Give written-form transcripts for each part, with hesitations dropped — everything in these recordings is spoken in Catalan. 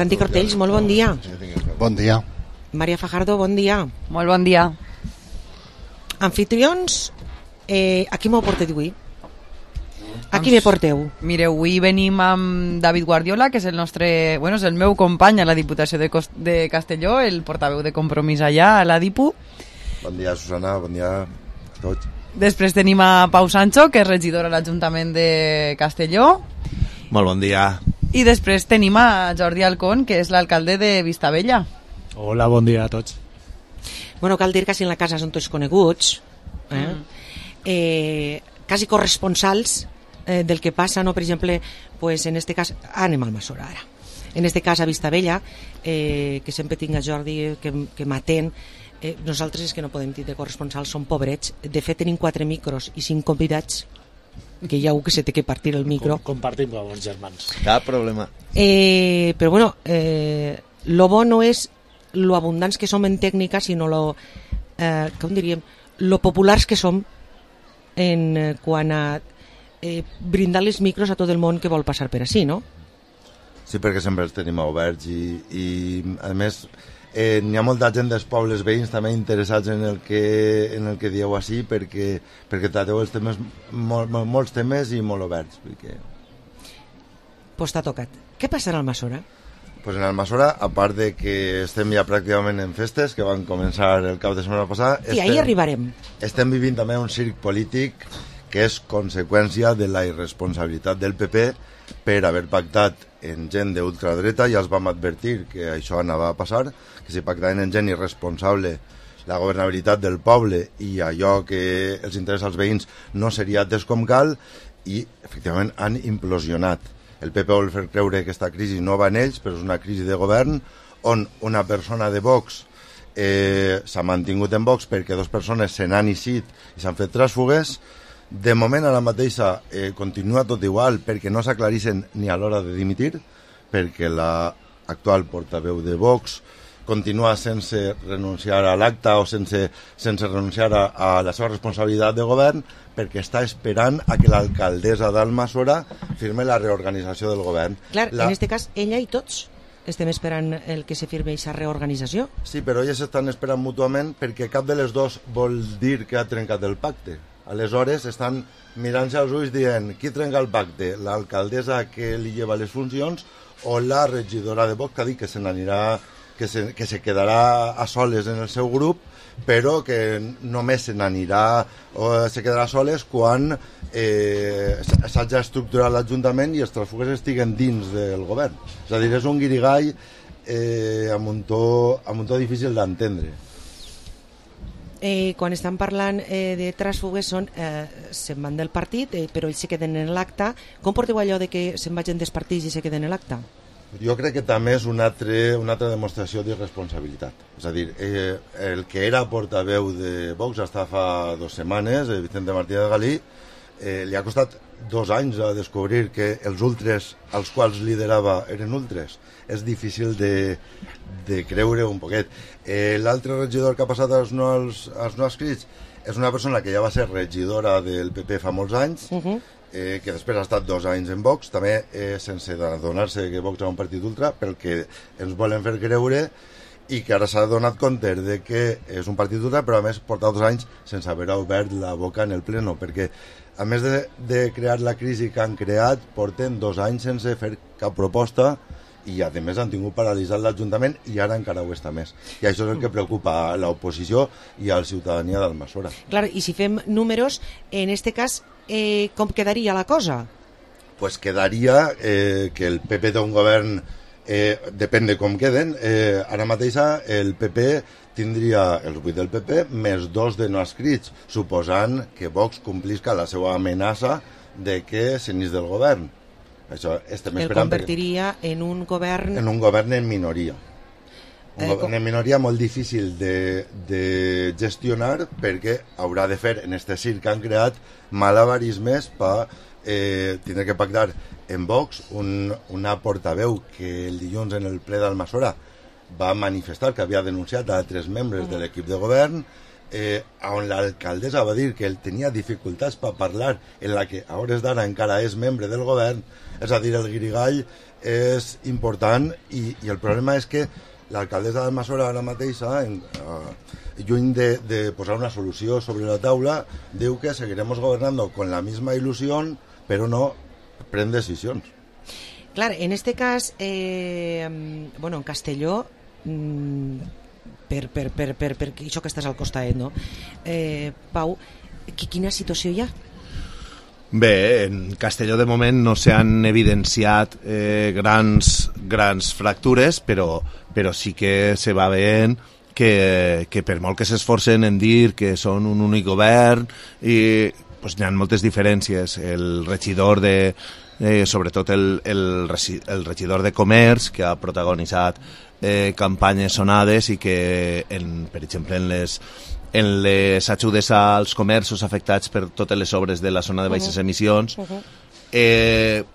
Santi Cortells, molt bon dia. Bon dia. Maria Fajardo, bon dia. Molt bon dia. Anfitrions, a qui m'ho porteu avui? A qui me porteu? Mireu, avui venim amb David Guardiola, que és el nostre, bueno, és el meu company a la Diputació de Castelló, el portaveu de Compromís allà a la Dipu. Bon dia, Susana, bon dia a tots. Després tenim a Pau Sancho, que és regidor a l'Ajuntament de Castelló. Molt bon dia. I després tenim a Jordi Alcón, que és l'alcalde de Vistabella. Hola, bon dia a tots. Bueno, cal dir que si en la casa són tots coneguts, quasi corresponsals del que passa, no? Per exemple, pues en este cas, anem al Masora ara. En este cas a Vistabella, que sempre tinc a Jordi que m'atén, nosaltres és que no podem dir de corresponsals, som pobrets. De fet tenim 4 micros i 5 convidats, que hi ha un que se té que partir el micro. Compartim com els germans. Cap problema. Però bueno, lo bo no és lo abundants que som en tècnica, sinó com diríem, lo populars que som en quant a brindar els micros a tot el món que vol passar per ací, no? Sí, perquè sempre els tenim oberts i a més n'hi ha molta gent dels pobles veïns també interessats en el que dieu així perquè trateu els temes, molts temes i molt oberts. Pues t'ha tocat. Què passarà al Masora? Pues en Almassora, a part de que estem ja pràcticament en festes, que van començar el cap de setmana passada... I ahir arribarem. Estem vivint també un circ polític que és conseqüència de la irresponsabilitat del PP per haver pactat en gent d'ultradreta. Ja els vam advertir que això anava a passar, que si pactaven en gent irresponsable la governabilitat del poble i allò que els interessa als veïns no seria atès com cal, i efectivament han implosionat. El PP vol fer creure que aquesta crisi no va en ells, però és una crisi de govern on una persona de Vox s'ha mantingut en Vox perquè 2 persones se n'han eixit i s'han fet tràsfugues. De moment ara mateixa continua tot igual perquè no s'aclareixen ni a l'hora de dimitir, perquè l'actual portaveu de Vox continua sense renunciar a l'acta o sense renunciar a la seva responsabilitat de govern, perquè està esperant a que l'alcaldessa d'Almassora firme la reorganització del govern. Clar, en aquest cas, ella i tots estem esperant el que se firme aquesta reorganització. Sí, però elles estan esperant mútuament perquè cap de les dos vol dir que ha trencat el pacte. Aleshores estan mirant-se als ulls dient qui trenca el pacte, l'alcaldessa que li lleva les funcions o la regidora de Vox que ha dit que se n'anirà, que se quedarà a soles en el seu grup, però que només se n'anirà o se quedarà soles quan s'hagi estructurat l'Ajuntament i els tràsfugues estiguen dins del govern. És a dir, és un guirigall amb un to difícil d'entendre. Quan estan parlant de tràsfugues se'n van del partit, però ells se queden en l'acte. Com porteu allò de que se'n vagin dels partits i se queden en l'acte? Jo crec que també és una altra demostració d'irresponsabilitat. És a dir, el que era portaveu de Vox hasta fa 2 setmanes, Vicente Martínez Galí, li ha costat 2 anys a descobrir que els ultres als quals liderava eren ultres. És difícil de creure un poquet. L'altre regidor que ha passat als no adscrits és una persona que ja va ser regidora del PP fa molts anys, que després ha estat 2 anys en Vox, també sense adonar-se que Vox era un partit ultra, pel que ens volen fer creure, i que ara s'ha donat compte de que és un partit ultra, però a més porta 2 anys sense haver obert la boca en el pleno, perquè a més de crear la crisi que han creat, porten 2 anys sense fer cap proposta i a més han tingut paralitzat l'Ajuntament i ara encara ho està més. I això és el que preocupa a l'oposició i a la ciutadania d'Almassora. Clar, i si fem números, en este cas, com quedaria la cosa? Pues quedaria que el PP té un govern, depèn de com queden, ara mateixa el PP tindria els 8 del PP més 2 de no adscrits, suposant que Vox complisca la seva amenaça de que s'anís del govern. Això estem esperant. El convertiria en un govern... En un govern en minoria. Un govern en minoria molt difícil de gestionar perquè haurà de fer en este circ que han creat malabarismes per tindre que pactar en Vox una portaveu que el dilluns en el ple d'Almassora va manifestar que havia denunciat a 3 membres de l'equip de govern, on l'alcaldessa va dir que ell tenia dificultats per parlar, en la que a hores d'ara encara és membre del govern, és a dir, el guirigall és important i el problema és que l'alcaldessa d'Almassora ara mateixa, lluny de posar una solució sobre la taula, diu que seguiremos gobernando con la misma ilusión, però no pren decisions. Clar, en este cas, bueno, en Castelló, per això que estàs al costat, no? Pau, quina situació hi ha? Bé, en Castelló de moment no s'han evidenciat grans fractures, però sí que se va veient que per molt que s'esforcen en dir que són un únic govern, i pues, hi ha moltes diferències. El regidor sobretot el regidor de Comerç, que ha protagonitzat campanyes sonades i que, per exemple, en les ajudes als comerços afectats per totes les obres de la zona de baixes emissions,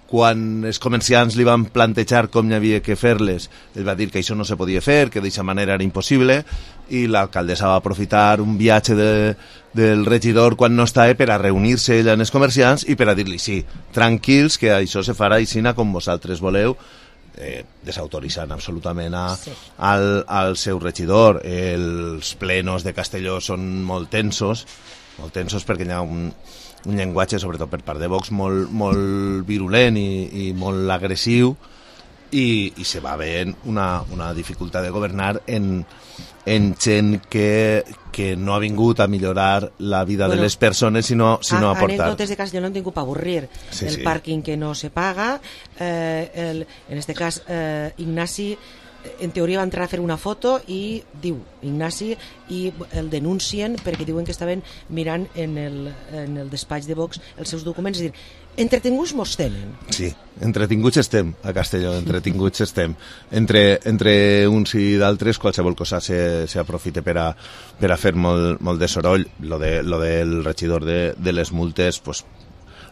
quan els comerciants li van plantejar com hi havia que fer-les, ell va dir que això no se podia fer, que d'aquesta manera era impossible, i l'alcaldessa va aprofitar un viatge del regidor quan no estava per a reunir-se ella amb els comerciants i per a dir-li sí, tranquils, que això se farà aixina com vosaltres voleu, desautoritzant absolutament al seu regidor. Els plenos de Castelló són molt tensos perquè hi ha un llenguatge, sobretot per part de Vox, molt virulent i molt agressiu, i se va veient una dificultat de governar en gent que no ha vingut a millorar la vida de les persones, sinó a aportar. Anècdotes de Castelló no han tingut per avorrir. El pàrquing que no se paga, en este cas Ignasi, en teoria va entrar a fer una foto i diu Ignasi, i el denuncien perquè diuen que estaven mirant en el despatx de Vox els seus documents, és a dir, entretinguts mos tenen. Sí, entretinguts estem a Castelló, entretinguts estem. Entre uns i d'altres qualsevol cosa s'aprofita per a fer molt de soroll. Lo del regidor de les multes, pues,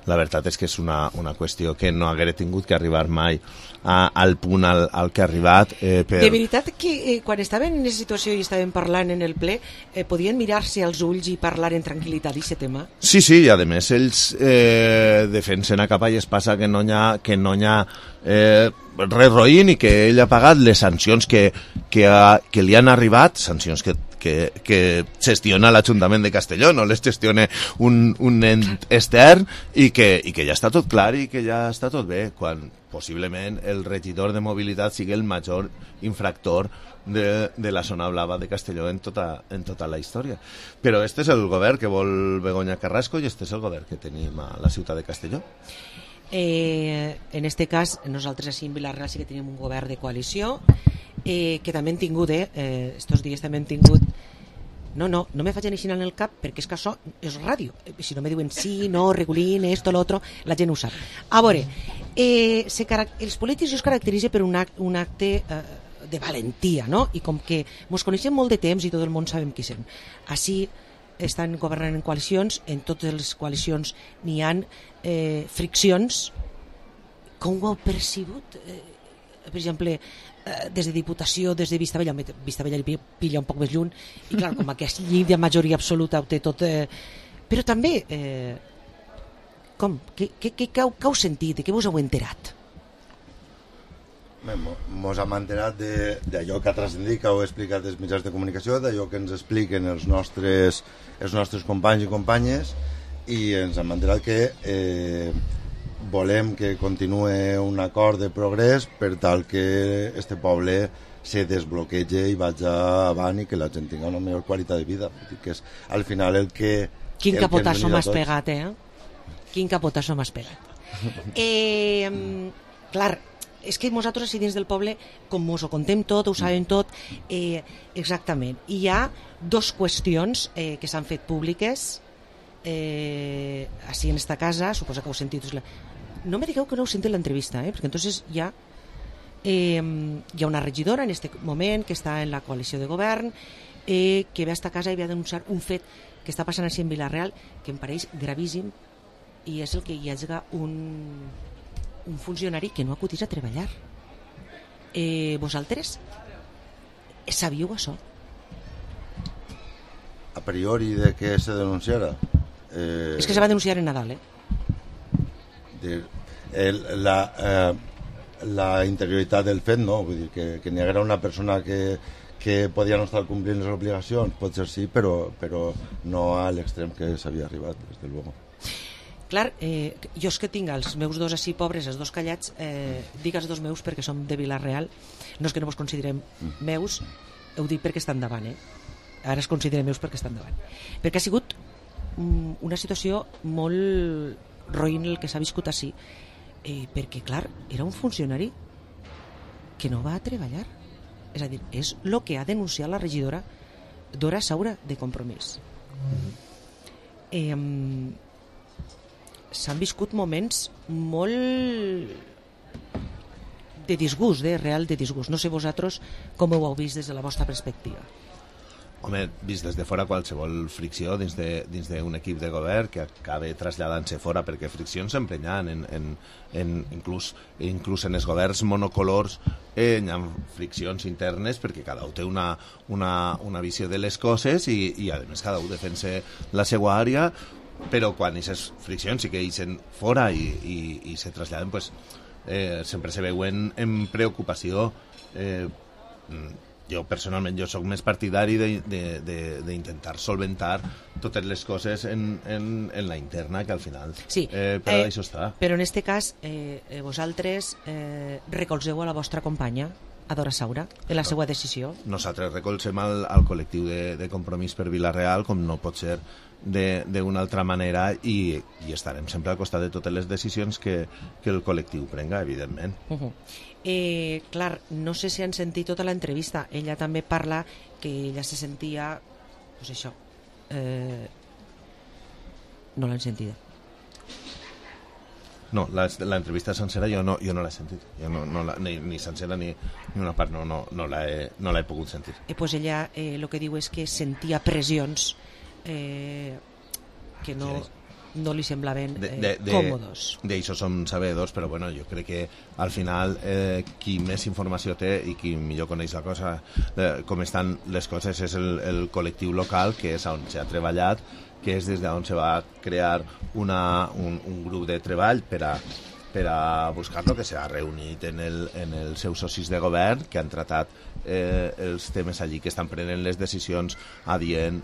la veritat és que és una qüestió que no haguera tingut que arribar mai al punt al que ha arribat. De veritat que quan estaven en aquesta situació i estaven parlant en el ple, podien mirar-se als ulls i parlar en tranquil·litat d'aquest tema? Sí, i a més ells defensen a capa i es passa que no hi ha res roïn i que ell ha pagat les sancions que li han arribat, sancions que gestiona l'Ajuntament de Castelló, no les gestiona un ent extern, i que ja està tot clar i que ja està tot bé, quan possiblement el regidor de mobilitat sigui el major infractor de la zona blava de Castelló en tota la història. Però este és el govern que vol Begoña Carrasco i este és el govern que tenim a la ciutat de Castelló. En este cas, nosaltres així en Vila-real sí que tenim un govern de coalició, que també hem tingut, estos dies també hem tingut... No me facin així en el cap, perquè és que això és ràdio. Si no me diuen sí, no, regulín, esto, lo otro, la gent ho sap. A veure, els polítics es caracteritzen per un acte de valentia, no? I com que ens coneixem molt de temps i tot el món sabem qui som. Així estan governant en coalicions, en totes les coalicions n'hi ha friccions. Com ho heu percebut? Per exemple, des de Diputació, des de Vistabella li pilla un poc més lluny, i clar, com aquesta llei de majoria absoluta ho té tot, però també com? Què heu sentit? De què vos heu enterat? Mos hem enterat d'allò que ha transcendit, que heu explicat els mitjans de comunicació, d'allò que ens expliquen els nostres companys i companyes, i ens hem enterat que volem que continuï un acord de progrés per tal que este poble se desbloquege i vagi avant i que la gent tingui una millor qualitat de vida. Que és al final el que... Quin capotasso m'has pegat, Quin capotasso m'has pegat. Clar, és que nosaltres així dins del poble, com us ho contem tot, ho sabem tot, exactament. I hi ha dos qüestions que s'han fet públiques així en esta casa, suposa que heu sentit... No me digueu que no heu sentit l'entrevista, perquè entonces hi ha una regidora en aquest moment que està en la coalició de govern, que ve a esta casa i ve a denunciar un fet que està passant així en Vila-real, que em pareix gravíssim, i és el que hi hagi un funcionari que no acudís a treballar. Vosaltres sabíeu això? priori de que se denunciara. És que se va denunciar en Nadal, la interioritat del fet, no? Vull dir que n'hi haguera una persona que podia no estar complint les obligacions, potser sí, però no a l'extrem que s'havia arribat, des de luego. Clar, jo és que tinc els meus dos així pobres, els dos callats, dic els dos meus perquè som de Vila-real, no és que no vos considerem meus, ho dic perquè estan davant, ara es consideren meus perquè estan davant. Perquè ha sigut una situació molt roïn el que s'ha viscut així, perquè, clar, era un funcionari que no va a treballar. És a dir, és el que ha denunciat la regidora Dora Saura de Compromís. S'han viscut moments molt de disgust, real de disgust. No sé vosaltres com ho heu vist des de la vostra perspectiva. Home, vist des de fora, qualsevol fricció dins d'un equip de govern que acabe traslladant-se fora, perquè friccions sempre hi ha, inclús en els governs monocolors hi ha friccions internes perquè cada un té una visió de les coses i a més cada un defensa la seva àrea, però quan aquestes friccions sí que eixen fora i se traslladen, pues, sempre se veuen en preocupació. Jo personalment soc més partidari d'intentar solventar totes les coses en la interna, que al final sí, però això està. Però en este cas vosaltres recolzeu a la vostra companya, a Dora Saura, en la seva decisió? Nosaltres recolzem al col·lectiu de Compromís per Vila-real, com no pot ser d'una altra manera, i estarem sempre al costat de totes les decisions que el col·lectiu prenga, evidentment. Clar, no sé si han sentit tota l'entrevista. Ella també parla que ella se sentia, pues això, no l'han sentida. No, l'entrevista sencera jo no l'he sentit. Jo ni sencera ni una part no l'he pogut sentir. Pues ella el que diu és que sentia pressions que no li semblaven còmodes. D'això som sabedors, però bueno, jo crec que al final qui més informació té i qui millor coneix la cosa, com estan les coses, és el col·lectiu local, que és on s'ha treballat, que és des d'on se va crear un grup de treball per a buscar-lo, que s'ha reunit en els seus socis de govern, que han tratat els temes allí, que estan prenent les decisions adient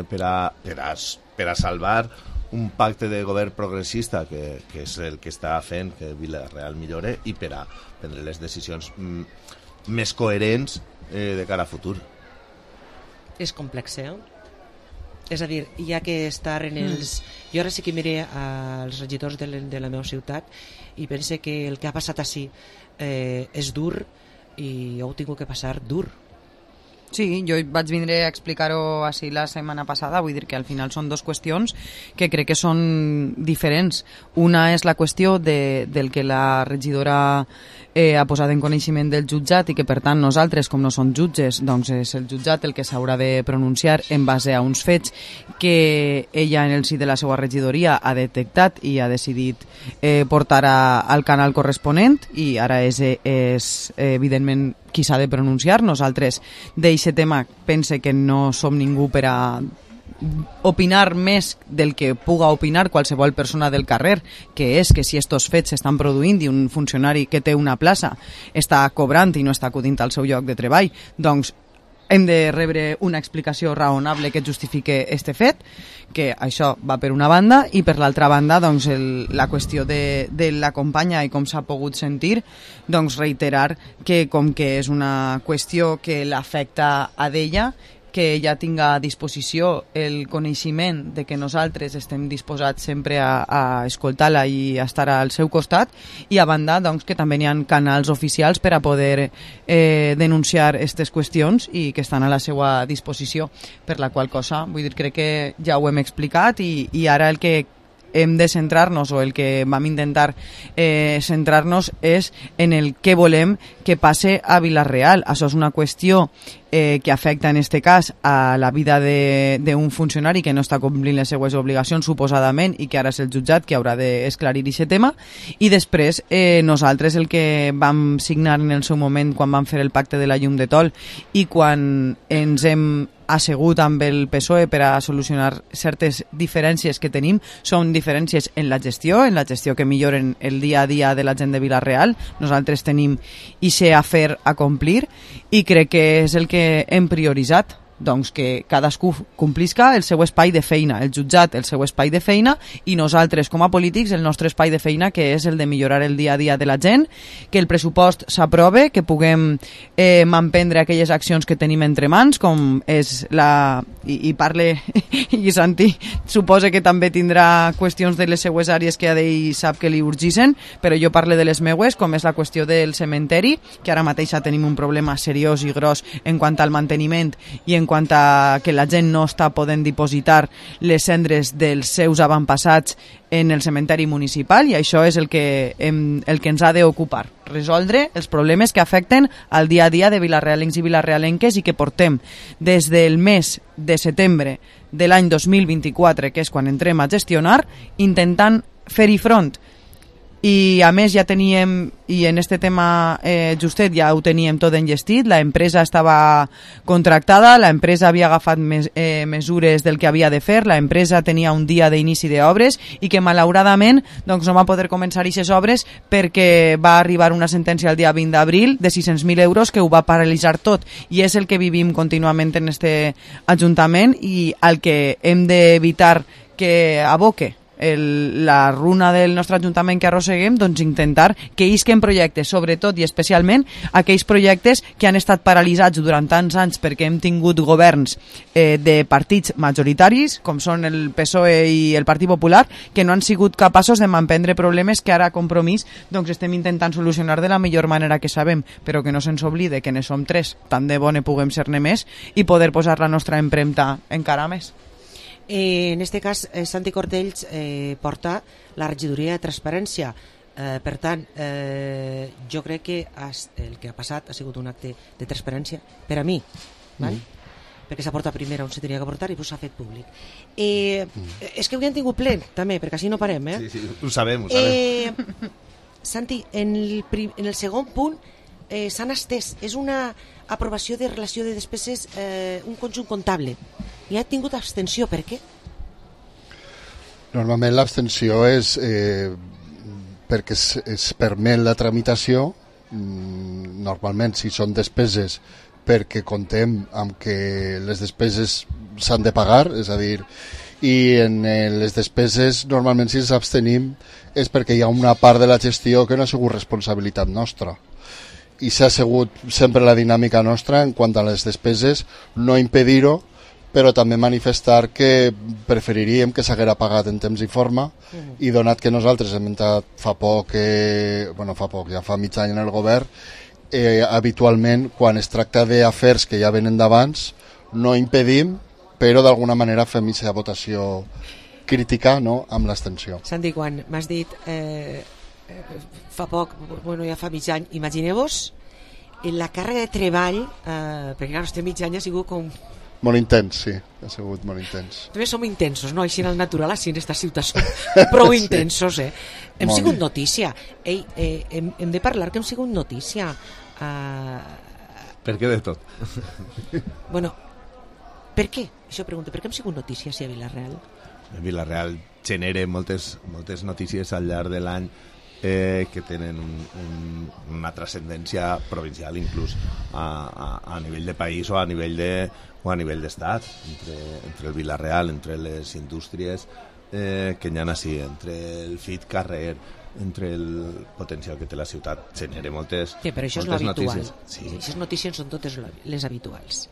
per a salvar un pacte de govern progressista que és el que està fent que Vila-real millore, i per a prendre les decisions més coherents de cara a futur. És complex, És a dir, hi ha que estar en els... Jo ara sí que miré als regidors de la meva ciutat i pense que el que ha passat així és dur i ho he tingut que passar dur. Sí, jo vaig vindre a explicar-ho així la setmana passada, vull dir que al final són dues qüestions que crec que són diferents. Una és la qüestió del que la regidora ha posat en coneixement del jutjat i que per tant nosaltres, com no som jutges, doncs és el jutjat el que s'haurà de pronunciar en base a uns fets que ella en el si de la seva regidoria ha detectat i ha decidit portar al canal corresponent, i ara és evidentment qui s'ha de pronunciar. Nosaltres d'eixe tema pense que no som ningú per a opinar més del que puga opinar qualsevol persona del carrer, que és que si estos fets s'estan produint i un funcionari que té una plaça està cobrant i no està acudint al seu lloc de treball, doncs hem de rebre una explicació raonable que justifique este fet, que això va per una banda, i per l'altra banda doncs la qüestió de la companya i com s'ha pogut sentir, doncs reiterar que com que és una qüestió que l'afecta a d'ella, que ella tinga a disposició el coneixement de que nosaltres estem disposats sempre a escoltar-la i a estar al seu costat, i a banda doncs, que també hi ha canals oficials per a poder denunciar aquestes qüestions i que estan a la seva disposició, per la qual cosa, vull dir, crec que ja ho hem explicat, i ara el que hem de centrar-nos, o el que vam intentar centrar-nos, és en el que volem que passe a Vila-real. Això és una qüestió que afecta en este cas a la vida d'un funcionari que no està complint les seues obligacions suposadament i que ara és el jutjat que haurà d'esclarir aquest tema. I després nosaltres el que vam signar en el seu moment quan vam fer el pacte de la llum de Tol i quan ens hem assegut amb el PSOE per a solucionar certes diferències que tenim, són diferències en la gestió que milloren el dia a dia de la gent de Vila-real. Nosaltres tenim ixe afer a complir i crec que és el que hem prioritzat, doncs que cadascú complisca el seu espai de feina, el jutjat el seu espai de feina i nosaltres com a polítics el nostre espai de feina, que és el de millorar el dia a dia de la gent, que el pressupost s'aprove, que puguem emprendre aquelles accions que tenim entre mans, com és i parle i Santi suposa que també tindrà qüestions de les seues àrees que ell sap que li urgisen, però jo parle de les meues, com és la qüestió del cementeri, que ara mateix tenim un problema seriós i gros en quant al manteniment i en quant a que la gent no està podent dipositar les cendres dels seus avantpassats en el cementeri municipal, i això és el que ens ha d'ocupar, resoldre els problemes que afecten al dia a dia de vilarealencs i vilarealenques i que portem des del mes de setembre de l'any 2024, que és quan entrem a gestionar, intentant fer-hi front. I a més ja teníem, i en este tema justet ja ho teníem tot enllestit, la empresa estava contractada, la empresa havia agafat mesures del que havia de fer, la empresa tenia un dia d'inici d'obres i que malauradament doncs, no va poder començar aquestes obres perquè va arribar una sentència el dia 20 d'abril de 600.000 euros que ho va paralitzar tot, i és el que vivim contínuament en este Ajuntament i el que hem d'evitar que aboque la runa del nostre Ajuntament que arrosseguem, doncs intentar que isquen projectes, sobretot i especialment aquells projectes que han estat paralitzats durant tants anys perquè hem tingut governs de partits majoritaris com són el PSOE i el Partit Popular, que no han sigut capaços de manprendre problemes que ara a Compromís doncs estem intentant solucionar de la millor manera que sabem, però que no se'ns oblide que ne som tres, tant de bo ne puguem ser-ne més i poder posar la nostra empremta encara més. En este cas, Santi Cortells porta la regidoria de transparència. Per tant, jo crec que el que ha passat ha sigut un acte de transparència per a mi, val? Perquè s'ha portat primer on se tenia que portar i s'ha fet públic. És que avui han tingut ple, també, perquè així no parem, eh? Sí, ho sabem, ho sabem. Santi, en el segon punt s'han estès. És una aprovació de relació de despeses, un conjunt comptable. I ha tingut abstenció, per què? Normalment l'abstenció és perquè es permet la tramitació, normalment si són despeses perquè contem amb que les despeses s'han de pagar, és a dir, i en les despeses normalment si ens abstenim és perquè hi ha una part de la gestió que no ha sigut responsabilitat nostra. I s'ha sigut sempre la dinàmica nostra en quant a les despeses, no impedir-ho, però també manifestar que preferiríem que s'haguera pagat en temps i forma, i donat que nosaltres hem entrat fa poc, ja fa mig any en el govern, habitualment quan es tracta d'afers que ja venen d'abans no impedim, però d'alguna manera fem aquesta votació crítica, no?, amb l'abstenció. Santi, quan m'has dit fa poc, ja fa mig any, imagineu-vos la càrrega de treball, perquè clar, este mig any ha sigut com... Molt intens, sí, ha sigut molt intens. També som intensos, no? Així en el natural, així en esta ciutat som prou intensos, eh? Hem sigut notícia. Ei, hem de parlar que hem sigut notícia. Per què de tot? Bueno, per què? Això pregunto, per què hem sigut notícia a Vila-real? Vila-real genera moltes notícies al llarg de l'any que tenen una transcendència provincial, inclús a nivell de país o a nivell d'estat, entre el Vila-real, entre les indústries que hi ha així, entre el fit carrer, entre el potencial que té la ciutat, genera moltes notícies. Però això és l'habitual. Sí. Aquestes notícies són totes les habituals.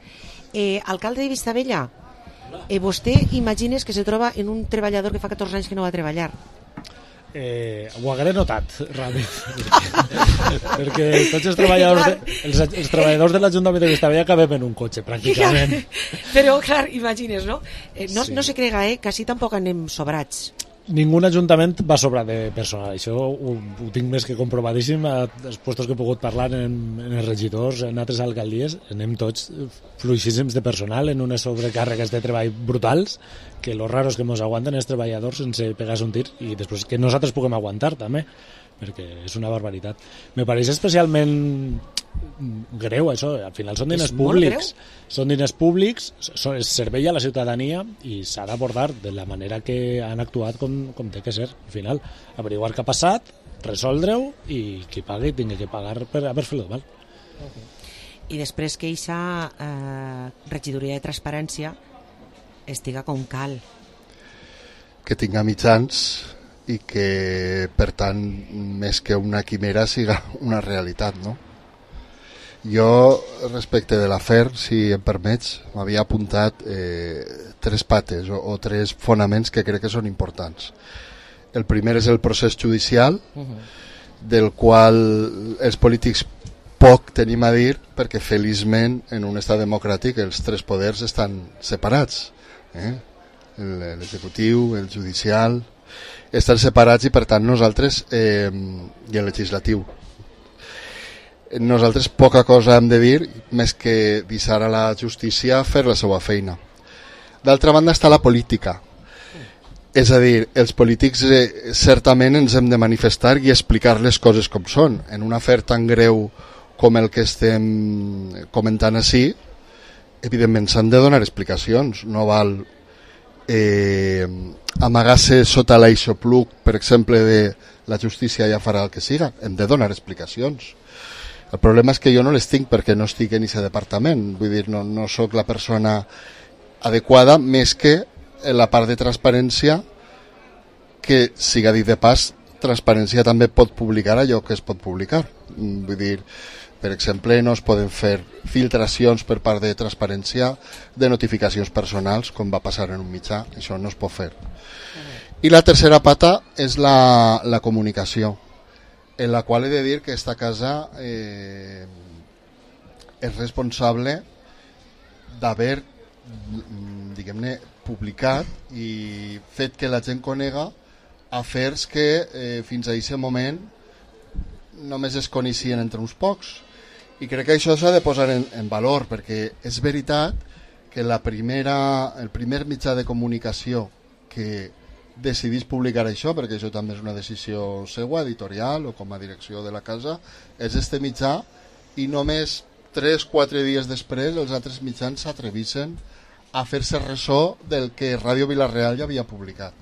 Alcalde de Vistabella, vostè imagines que se troba en un treballador que fa 14 anys que no va treballar? Ho hagué notat ràpid perquè tots els treballadors de l'Ajuntament de Vistabella acabem en un cotxe pràcticament. Però clar, imagines, no? No se crega, que així tampoc anem sobrats. ningú ajuntament va sobrar de personal. Això ho tinc més que comprovadíssim. Els puestos que he pogut parlar en els regidors, en altres alcaldies, anem tots fluixíssims de personal, en unes sobrecàrregues de treball brutals, que lo raro és que ens aguanten els treballadors sense pegar-se un tir, i després que nosaltres puguem aguantar també, perquè és una barbaritat. Me pareix especialment greu això, al final són diners públics, es servei a la ciutadania i s'ha d'abordar de la manera que han actuat com té que ser. Al final, averiguar què ha passat, resoldre-ho i qui pagui tingui que pagar per haver fet-lo mal. I després que eixa regidoria de transparència estiga com cal. Que tinga mitjans i que, per tant, més que una quimera, siga una realitat, no? Jo, respecte de l'afer, si em permets, m'havia apuntat 3 pates o 3 fonaments que crec que són importants. El primer és el procés judicial, del qual els polítics poc tenim a dir, perquè feliçment en un estat democràtic els 3 poders estan separats. L'executiu, el judicial, estan separats i per tant nosaltres, i el legislatiu, nosaltres poca cosa hem de dir més que deixar a la justícia fer la seva feina. D'altra banda està la política, és a dir, els polítics certament ens hem de manifestar i explicar les coses com són. En un afer tan greu com el que estem comentant així, evidentment s'han de donar explicacions. No val amagar-se sota l'aixopluc, per exemple, de la justícia ja farà el que siga. Hem de donar explicacions. El problema és que jo no les tinc perquè no estic en aquest departament, vull dir, no sóc la persona adequada, més que en la part de transparència, que, siga dit de pas, transparència també pot publicar allò que es pot publicar. Vull dir, per exemple, no es poden fer filtracions per part de transparència de notificacions personals, com va passar en un mitjà, això no es pot fer. I la tercera pata és la comunicació, en la qual he de dir que esta casa és responsable d'haver, diguem-ne, publicat i fet que la gent conega afers que fins a aquest moment només es coneixien entre uns pocs. I crec que això s'ha de posar en valor, perquè és veritat que el primer mitjà de comunicació que decidís publicar això, perquè això també és una decisió seva, editorial o com a direcció de la casa, és este mitjà, i només 3-4 dies després els altres mitjans s'atrevissen a fer-se ressò del que Ràdio Vila-real ja havia publicat.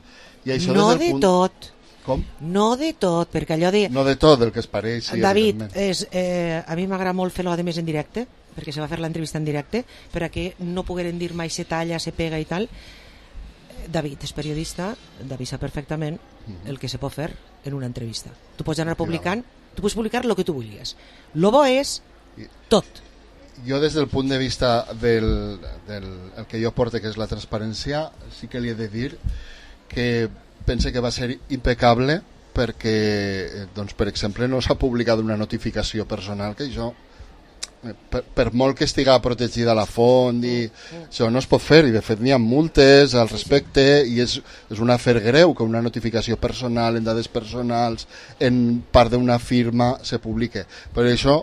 I això no de tot. Com? No de tot, perquè allò de... No de tot, del que es pareix. Sí, David, a mi m'agrada molt fer-lo a més en directe, perquè se va fer l'entrevista en directe, per a que no pogueren dir mai se talla, se pega i tal. David és periodista, David sap perfectament el que se pot fer en una entrevista. Tu pots anar publicant, tu pots publicar el que tu vulguis. Lo bo és tot. Jo des del punt de vista del que jo porto, que és la transparència, sí que li he de dir que pense que va ser impecable perquè, doncs, per exemple, no s'ha publicat una notificació personal, que això, per molt que estiga protegida la font, i això no es pot fer, i de fet n'hi ha multes al respecte, i és un afer greu que una notificació personal en dades personals en part d'una firma se publique. Per això,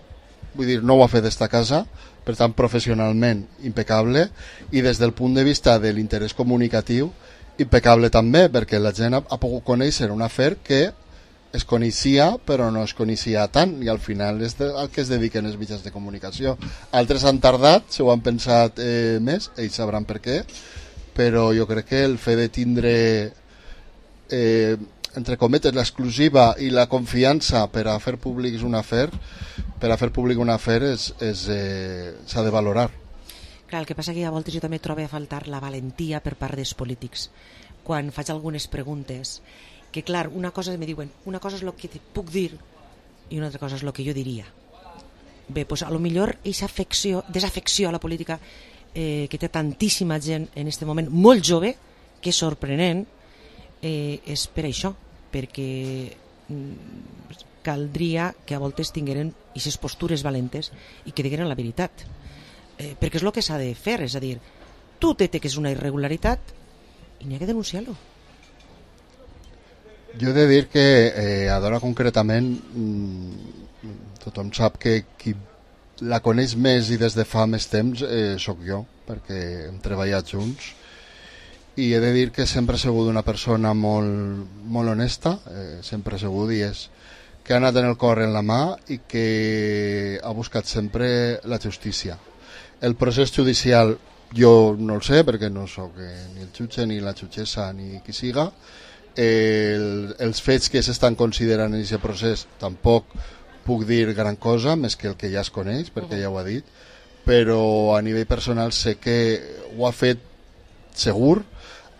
vull dir, no ho ha fet esta casa, per tant professionalment impecable, i des del punt de vista de l'interès comunicatiu impecable també, perquè la gent ha pogut conèixer un afer que es coneixia però no es coneixia tant, i al final és al que es dediquen els mitjans de comunicació. Altres han tardat, se ho han pensat més, ells sabran per què, però jo crec que el fet de tindre entre cometes l'exclusiva i la confiança per a fer públic un afer s'ha de valorar. Clar, el que passa que a voltes jo també trobo a faltar la valentia per part dels polítics quan faig algunes preguntes, que clar, una cosa me diuen, una cosa és el que puc dir i una altra cosa és el que jo diria. Bé, doncs a lo millor aquesta desafecció a la política que té tantíssima gent en aquest moment, molt jove, que és sorprenent, és per això, perquè caldria que a voltes tingueren aquestes postures valentes i que digueren la veritat, perquè és el que s'ha de fer, és a dir, tu detectes una irregularitat i n'hi ha que denunciar-lo. Jo he de dir que a Dora concretament tothom sap que qui la coneix més i des de fa més temps sóc jo, perquè hem treballat junts, i he de dir que sempre he sigut una persona molt honesta, sempre he sigut, i és que ha anat en el cor en la mà i que ha buscat sempre la justícia. El procés judicial jo no el sé, perquè no sóc ni el jutge ni la jutgessa ni qui siga. Els fets que s'estan considerant en aquest procés tampoc puc dir gran cosa, més que el que ja es coneix, perquè ja ho ha dit, però a nivell personal sé que ho ha fet segur,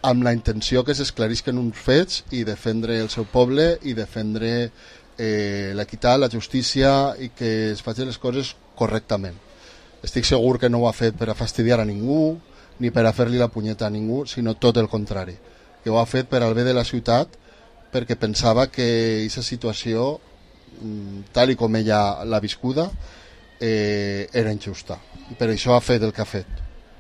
amb la intenció que s'esclarisquen uns fets i defendre el seu poble i defendre l'equitat, la justícia i que es facin les coses correctament. Estic segur que no ho ha fet per a fastidiar a ningú ni per a fer-li la punyeta a ningú, sinó tot el contrari, que ho ha fet per al bé de la ciutat, perquè pensava que aquesta situació, tal i com ella l'ha viscuda, era injusta, i per això ha fet el que ha fet.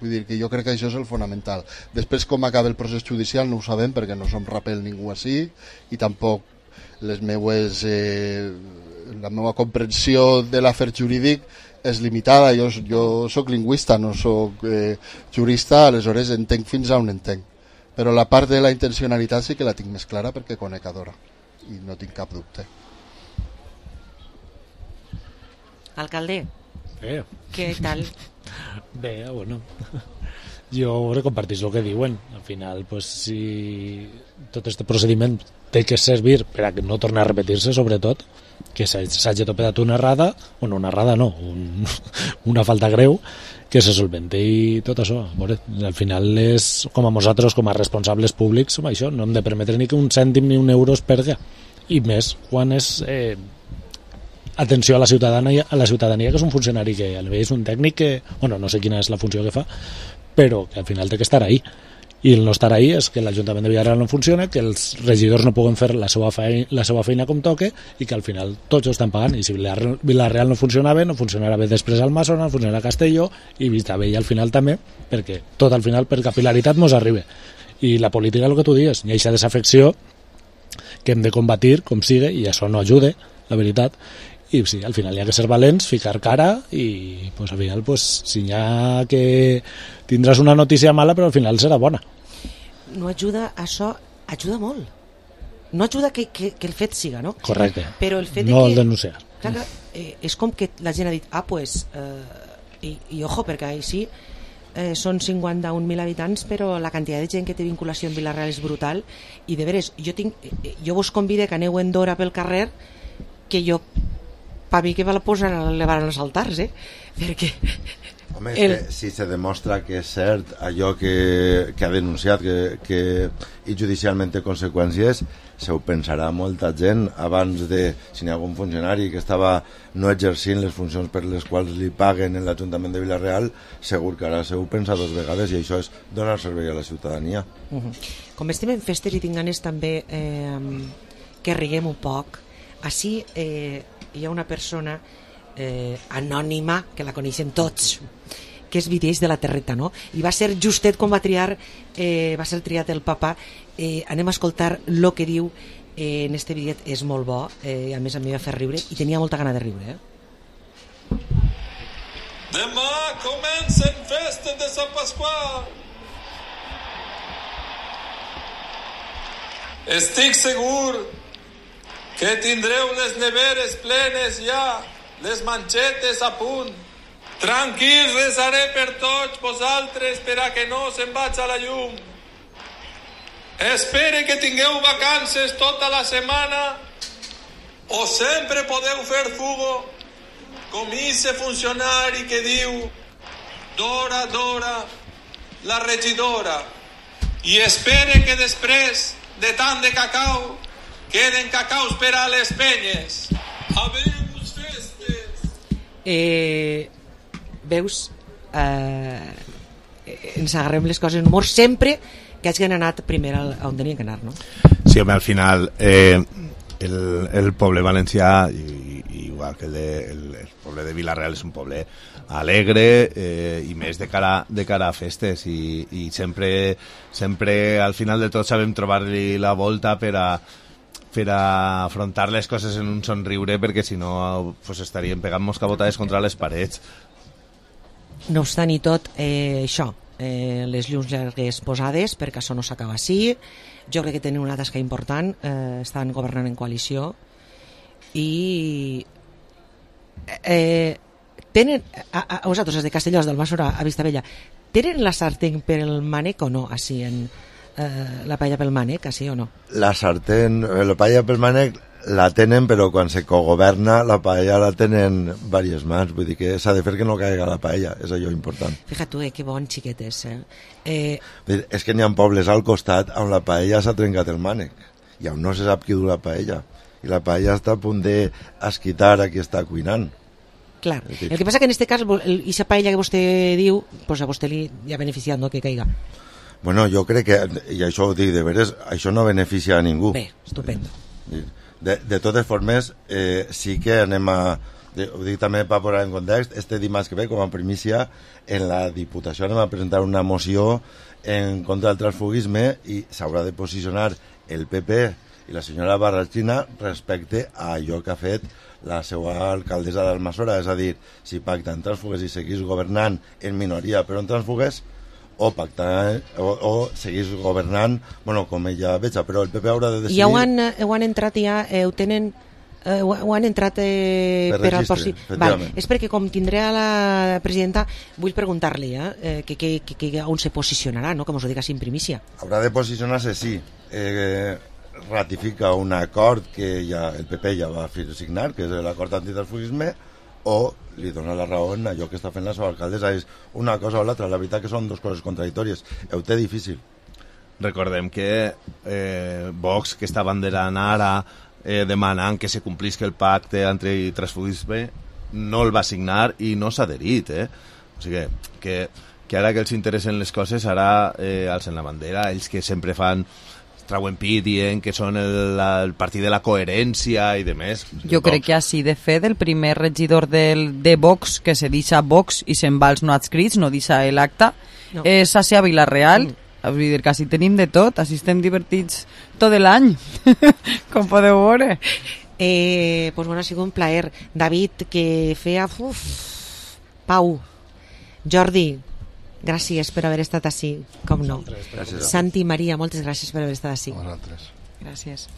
Vull dir que jo crec que això és el fonamental. Després, com acaba el procés judicial no ho sabem, perquè no som rapel ningú així, i tampoc la meva comprensió de l'afer jurídic és limitada. Jo soc lingüista, no soc jurista, aleshores entenc fins a on entenc, però la part de la intencionalitat sí que la tinc més clara perquè conec a Dora i no tinc cap dubte. Alcalde, què tal? Bé, bueno, jo compartís el que diuen. Al final, pues, si tot aquest procediment té que servir per a que no torni a repetir-se, sobretot, que s'hagi topat una errada, o no una errada, no, una falta greu, que se solvente i tot això. Veure, al final és com a nosaltres, com a responsables públics, això, no hem de permetre ni que un cèntim ni un euro es perga. I més quan és atenció a la ciutadania, que és un funcionari que a nivell és un tècnic que, bueno, no sé quina és la funció que fa, però que al final té que estar ahí. I el no estar ahí és que l'Ajuntament de Villarreal no funciona, que els regidors no poden fer la seva feina com toque i que al final tots ho estan pagant. I si Villarreal no funciona bé, no funcionarà bé després al Masona, no funcionarà a Castelló i Vistabella al final també, perquè tot al final per capilaritat mos arriba. I la política, el que tu dius, hi ha aquesta desafecció que hem de combatir com sigui, i això no ajuda, la veritat. I sí, al final hi ha que ser valents, ficar cara i pues, al final pues, si hi ha que tindràs una notícia mala però al final serà bona. No ajuda, això ajuda molt. No ajuda que el fet siga, no? Correcte, però el fet no de que, el denunciar. Clar, és com que la gent ha dit pues, i ojo, perquè així són 51.000 habitants, però la quantitat de gent que té vinculació amb Vilareal és brutal, i de veres, jo vos convido que aneu en Dora pel carrer, que jo per mi que me la posen a elevar els altars, perquè... Home, si se demostra que és cert allò que ha denunciat i judicialment té conseqüències, se ho pensarà molta gent abans de, si hi ha algun funcionari que estava no exercint les funcions per les quals li paguen en l'Ajuntament de Vilareal, segur que ara se ho pensa 2 vegades, i això és donar servei a la ciutadania. Com estem en festes i tinc ganes també que riguem un poc, així hi ha una persona anònima que la coneixem tots, que és Videix de la Terreta, no? I va ser justet quan va ser triat el papa. Anem a escoltar el que diu en este bidet, és molt bo, a més a mi va fer riure i tenia molta gana de riure. Demà comencen festes de Sant Pasqual. Estic segur que tindreu les neveres plenes ja, les manxetes a punt. Tranquils, resaré per tots vosaltres per a que no se'n vaig a la llum. Espere que tingueu vacances tota la setmana o sempre podeu fer fugo com ese funcionari que diu Dora, Dora, la regidora, i espere que després de tant de cacau queden cacaus per a les penyes. Abeus festes. Veus, ens agarrem les coses en humor sempre que hagin anat primer on tenien que anar, no? Sí, home, al final el poble valencià, igual que el poble de Vilareal, és un poble alegre i més de cara a festes, i sempre al final de tot sabem trobar-li la volta per a per a afrontar les coses en un somriure, perquè si no pues, estaríem pegant moscabotades contra les parets. No obstant i tot, això, les llums llargues posades, perquè això no s'acaba així. Jo crec que tenen una tasca important, estan governant en coalició i tenen, a vosaltres, els de Castellós, d'Almassora a Vistabella, tenen la sartén per el mànec o no, així en la paella pel mànec, així o no? La sartén, la paella pel mànec la tenen, però quan se cogoverna la paella la tenen diverses mans, vull dir que s'ha de fer que no caiga la paella, és allò important. Fíjate tu, que bon xiquet és. És que n'hi ha pobles al costat on la paella s'ha trencat el mànec i on no se sap qui du la paella, i la paella està a punt d'esquitar a qui està cuinant. Clar, el que passa que en este cas aquesta paella que vostè diu, pues a vostè li ha beneficiat, no, que caiga. Bueno, jo crec que, i això ho dic de veres, això no beneficia a ningú. Bé, estupendo. De totes formes, sí que anem a... Ho dic també per posar en context, este dimarts que ve, com a primícia, en la Diputació anem a presentar una moció en contra del transfugisme i s'haurà de posicionar el PP i la senyora Barrachina respecte a allò que ha fet la seva alcaldessa d'Almassora, és a dir, si pacten transfugues i seguís governant en minoria però en transfugues, o pactar o seguís governant, bueno, com ella veja, però el PP haurà de decidir... Ja ho han entrat, ja ho tenen... ho han entrat per registre, vale. És perquè com tindré a la presidenta vull preguntar-li que on se posicionarà, no? Com us ho dic així en primícia. Haurà de posicionar-se, sí. Ratifica un acord que ja el PP ja va signar, que és l'acord antitransfugisme, o li dona la raó en allò que està fent la seva alcaldessa. És una cosa o l'altra, la veritat que són dues coses contradictòries. Ho té difícil. Recordem que Vox, que està banderant ara demanant que se complisca el pacte antitransfugisme, no el va signar i no s'ha adherit, o sigui que ara que els interessen les coses, ara alcen la bandera, ells que sempre trauen pit dient que són el partit de la coherència i de més. Jo crec que així de fet el primer regidor de Vox que se deixa Vox i se'n va als no adscrits, no deixa l'acte, és Sàcia Vilareal. Vull dir que així tenim de tot, així estem divertits tot l'any, com podeu veure. Pues bueno, ha sigut un plaer. David, que feia... Pau, Jordi, gràcies per haver estat així, com no. Gràcies. Santi, Maria, moltes gràcies per haver estat així. Vosaltres. Gràcies.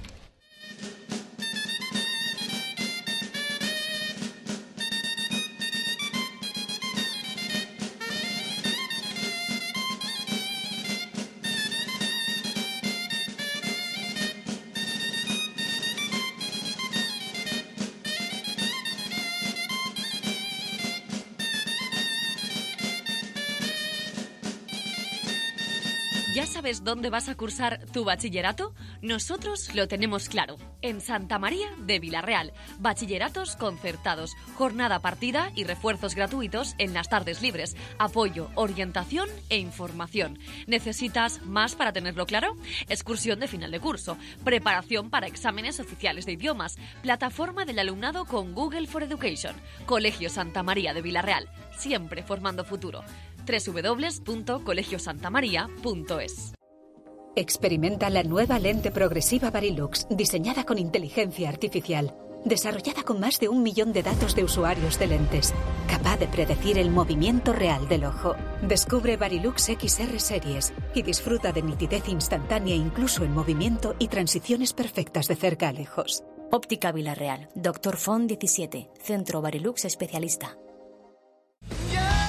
¿Ya sabes dónde vas a cursar tu bachillerato? Nosotros lo tenemos claro. En Santa María de Vilareal. Bachilleratos concertados, jornada partida y refuerzos gratuitos en las tardes libres. Apoyo, orientación e información. ¿Necesitas más para tenerlo claro? Excursión de final de curso. Preparación para exámenes oficiales de idiomas. Plataforma del alumnado con Google for Education. Colegio Santa María de Vilareal. Siempre formando futuro. www.colegiosantamaria.es. Experimenta la nueva lente progresiva Varilux, diseñada con inteligencia artificial, desarrollada con más de 1 millón de datos de usuarios de lentes, capaz de predecir el movimiento real del ojo. Descubre Varilux XR Series y disfruta de nitidez instantánea incluso en movimiento y transiciones perfectas de cerca a lejos. Óptica Vilareal, Dr. Font 17, Centro Varilux Especialista.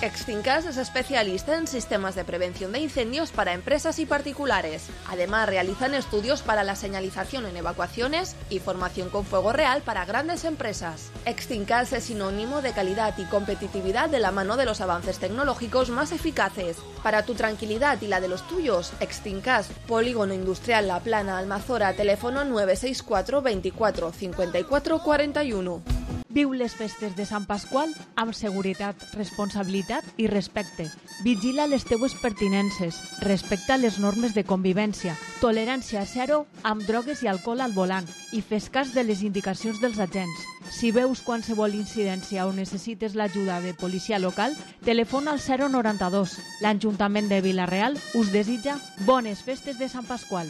Extincas es especialista en sistemas de prevención de incendios para empresas y particulares. Además, realizan estudios para la señalización en evacuaciones y formación con fuego real para grandes empresas. Extincas es sinónimo de calidad y competitividad de la mano de los avances tecnológicos más eficaces. Para tu tranquilidad y la de los tuyos, Extincas, Polígono Industrial La Plana, Almazora, teléfono 964 24 54 41. Viu les festes de Sant Pasqual amb seguretat, responsabilitat i respecte. Vigila les teues pertinences, respecta les normes de convivència, tolerància zero amb drogues i alcohol al volant i fes cas de les indicacions dels agents. Si veus qualsevol incidència o necessites l'ajuda de policia local, telefona al 092. L'Ajuntament de Vilareal us desitja bones festes de Sant Pasqual.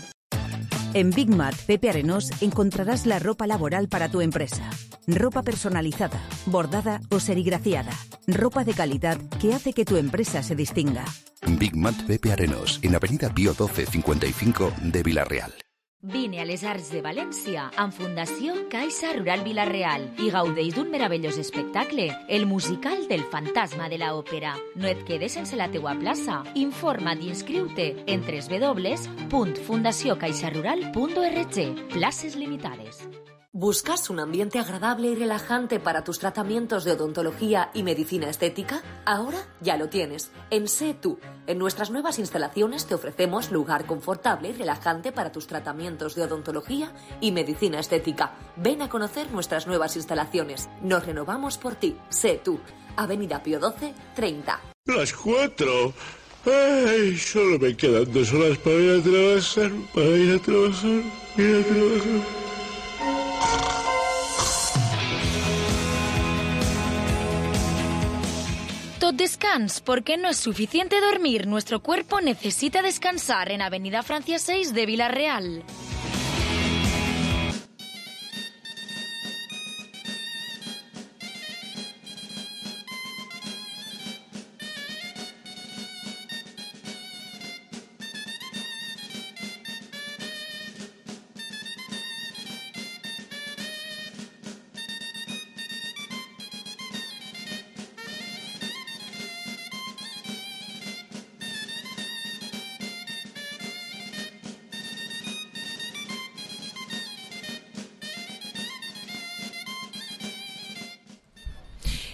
En Big Mat Pepe Arenós encontrarás la ropa laboral para tu empresa. Ropa personalizada, bordada o serigrafiada. Ropa de calidad que hace que tu empresa se distinga. Big Mat Pepe Arenós, en Avenida Pío 12 55 de Vila-real. Vine a les Arts de València amb Fundació Caixa Rural Vila-real i gaudeix d'un meravellós espectacle, el musical del fantasma de la òpera. No et quedes sense la teua plaça. Informa't i inscriu-te en www.fundaciocaixarural.org. Places limitades. ¿Buscas un ambiente agradable y relajante para tus tratamientos de odontología y medicina estética? Ahora ya lo tienes. En Sé Tú. En nuestras nuevas instalaciones te ofrecemos lugar confortable y relajante para tus tratamientos de odontología y medicina estética. Ven a conocer nuestras nuevas instalaciones. Nos renovamos por ti. Sé Tú. Avenida Pío 12, 30. Las 4. Ay, solo me quedan 2 horas para ir a trabajar. Tot descans, porque no es suficiente dormir. Nuestro cuerpo necesita descansar en Avenida Francia 6 de Vila-real.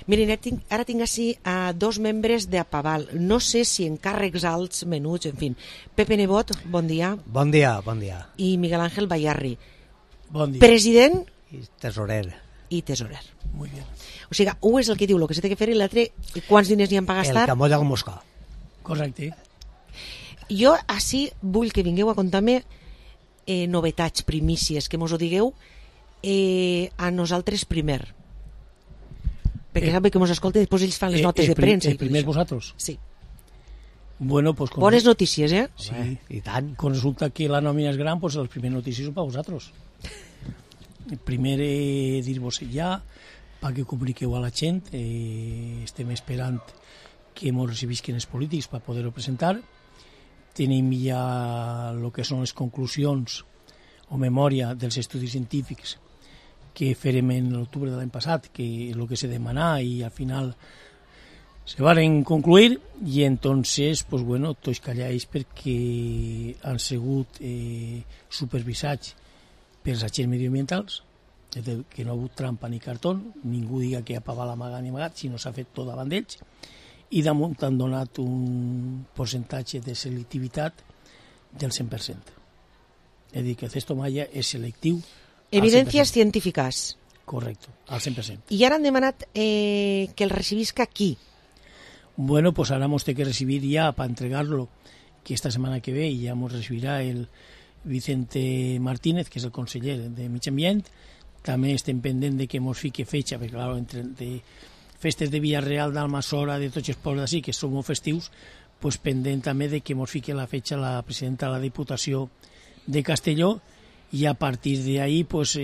Miren, ara tinc així a 2 membres d'Apaval. No sé si en càrrecs alts, menuts, en fi. Pepe Nebot, bon dia. Bon dia, bon dia. I Miguel Ángel Bayarri. Bon dia. President i tesorer. I tesorer. Muy bien. O sigui, un és el que diu el que s'ha de fer i l'altre quants diners n'hi ha per gastar. El que molla el moscà. Correcte. Jo així vull que vingueu a contar-me novetats, primícies, que mos ho digueu a nosaltres primer. Perquè sabe que mos escolta i després ells fan les notes de premsa. El primer vosaltres? Sí. Bueno, pues bones notícies, eh? Sí, i tant. Quan resulta que la nòmina és gran, pues les primeres notícies són per vosaltres. El primer dir-vos ja, perquè comuniqueu a la gent, estem esperant que ens recibisquen els polítics per poder-ho presentar. Tenim ja el que són les conclusions o memòria dels estudis científics que farem en l'octubre de l'any passat, que és el que se demanà i al final se van concluir i entonces, pues bueno, tots callats perquè han sigut supervisats pels agents mediambientals, que no ha hagut trampa ni cartó, ningú diga que ha pagat amagat ni amagat, sinó s'ha fet tot davant d'ells, i damunt han donat un percentatge de selectivitat del 100%. És a dir, que el Cesto Maya és selectiu. Evidències científiques. Correcte, al 100%. I ara han demanat que el recibisca qui? Bueno, pues ahora hemos de que recibir ya para entregarlo, que esta semana que ve ya nos recibirá el Vicente Martínez, que és el conseller de Mig Ambient. També estem pendent de que ens fique fecha, perquè claro, entre de festes de Villarreal, d'Almassora, de tots els pobles d'ací, que són molt festius, pues pendent també de que ens fique la fecha la presidenta de la Diputació de Castelló, i a partir d'ahí pues,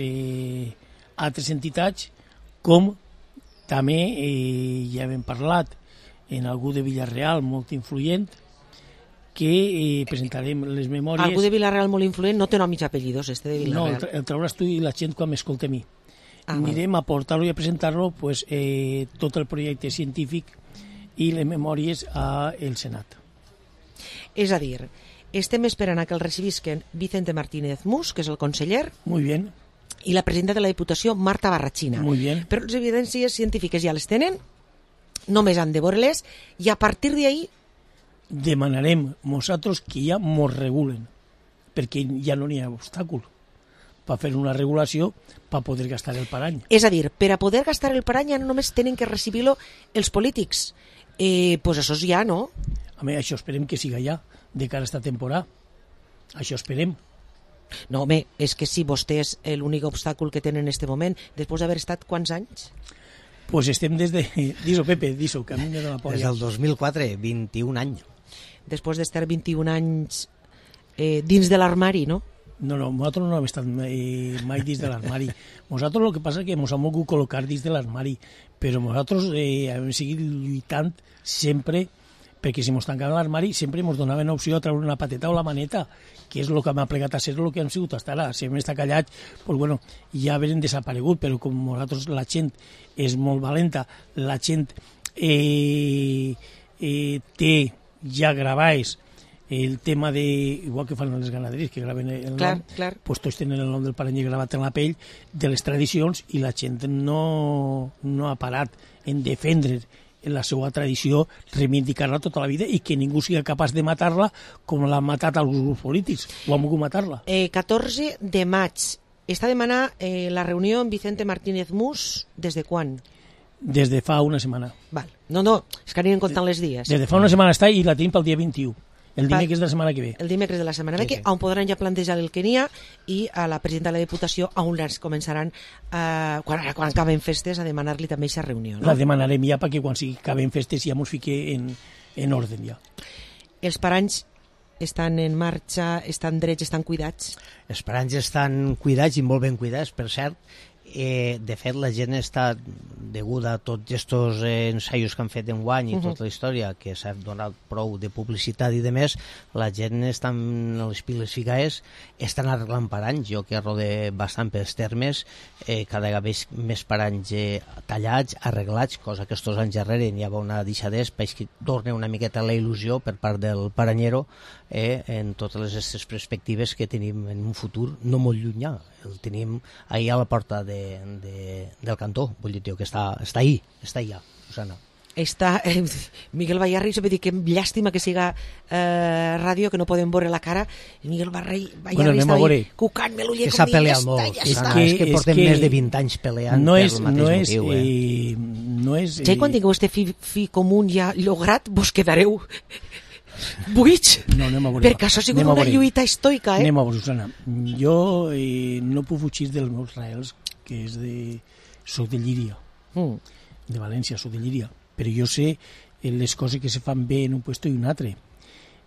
altres entitats, com també ja hem parlat en algú de Villarreal molt influent, que presentarem les memòries. Algú de Villarreal molt influent no té nom i apellidos, este de Villarreal. No, el trauràs tu i la gent quan m'escolta a mi. Anirem a portar-lo i a presentar-lo pues, tot el projecte científic i les memòries al Senat. És a dir, estem esperant a que el recibisquen Vicente Martínez Mus, que és el conseller. Muy bien. I la presidenta de la Diputació, Marta Barrachina. Muy bien. Però les evidències científiques ja les tenen, només han de veure-les, i a partir d'ahí demanarem nosaltres que ja mos regulen, perquè ja no n'hi ha obstàcul per fer una regulació per poder gastar el parany. És a dir, per a poder gastar el parany ja no només tenen que recibir-lo els polítics. Pues això ja, no? A mi, això esperem que siga ja, de cara a esta temporada. Això esperem. No, home, és que si vostès l'únic obstàcul que tenen en este moment, després d'haver estat quants anys? Pues estem des de... Dis-ho, Pepe, dis-ho, que a mi me dona por. Des del 2004, 21 anys. Després d'estar 21 anys dins de l'armari, no? No, nosaltres no hem estat mai dins de l'armari. Nosaltres el que passa és que ens hem volgut col·locar dins de l'armari, però nosaltres hem seguit lluitant sempre, perquè si ens tancaven l'armari sempre ens donaven opció de treure una pateta o la maneta, que és el que m'ha plegat a ser el que hem sigut fins ara. Si hem estat callats, doncs, bueno, ja haurem desaparegut, però com nosaltres la gent és molt valenta, la gent té ja gravats el tema de, igual que fan les ganaderies, que graven el nom, doncs tots tenen el nom del paranyer gravat en la pell, de les tradicions, i la gent no ha parat en defendre la seva tradició, reivindicar-la tota la vida i que ningú sigui capaç de matar-la com l'han matat alguns grups polítics, o han volgut matar-la. 14 de maig. Està demanant la reunió amb Vicente Martínez Mus des de quan? Des de fa una setmana. Val. No, és que anirem comptant les dies. Des de fa una setmana està i la tenim pel dia 21. El dimecres de la setmana que ve. El dimecres de la setmana que on podran ja plantejar el que n'hi ha, i a la presidenta de la Diputació on ens començaran, quan acaben festes, a demanar-li també aquesta reunió. No? La demanarem ja perquè quan acaben festes ja ens fiquem en ordre ja. Els paranys estan en marxa, estan drets, estan cuidats? Els paranys estan cuidats i molt ben cuidats, per cert. De fet, la gent està, deguda a tots aquests ensaios que han fet enguany i tota la història, que s'ha donat prou de publicitat i de més, la gent està amb les piles ficades, estan arreglant paranys. Jo que rode bastant pels termes, cada vegada veig més paranys tallats, arreglats, cosa que estos anys darrere n'hi havia una deixadès, perquè torna una miqueta la il·lusió per part del paranyero en totes aquestes perspectives que tenim en un futur no molt llunyà. El tenim ahir a la porta del cantó, vull dir, que està ahí ja, Susana. Miguel Bayarri se va dir que llàstima que siga ràdio, que no podem veure la cara. Miguel Bayarri està ahí cucant-me l'ull, que s'ha peleat molt. És que portem més de 20 anys peleant per el mateix motiu. Ja quan tingueu este fi comú ja lograt, vos quedareu buits, perquè això ha sigut una lluita estoica. Anem a veure, Susana. Jo no puc fugir dels meus raels, que és soc de Llíria, de València, soc de Llíria, però jo sé les coses que se fan bé en un puesto i un altre.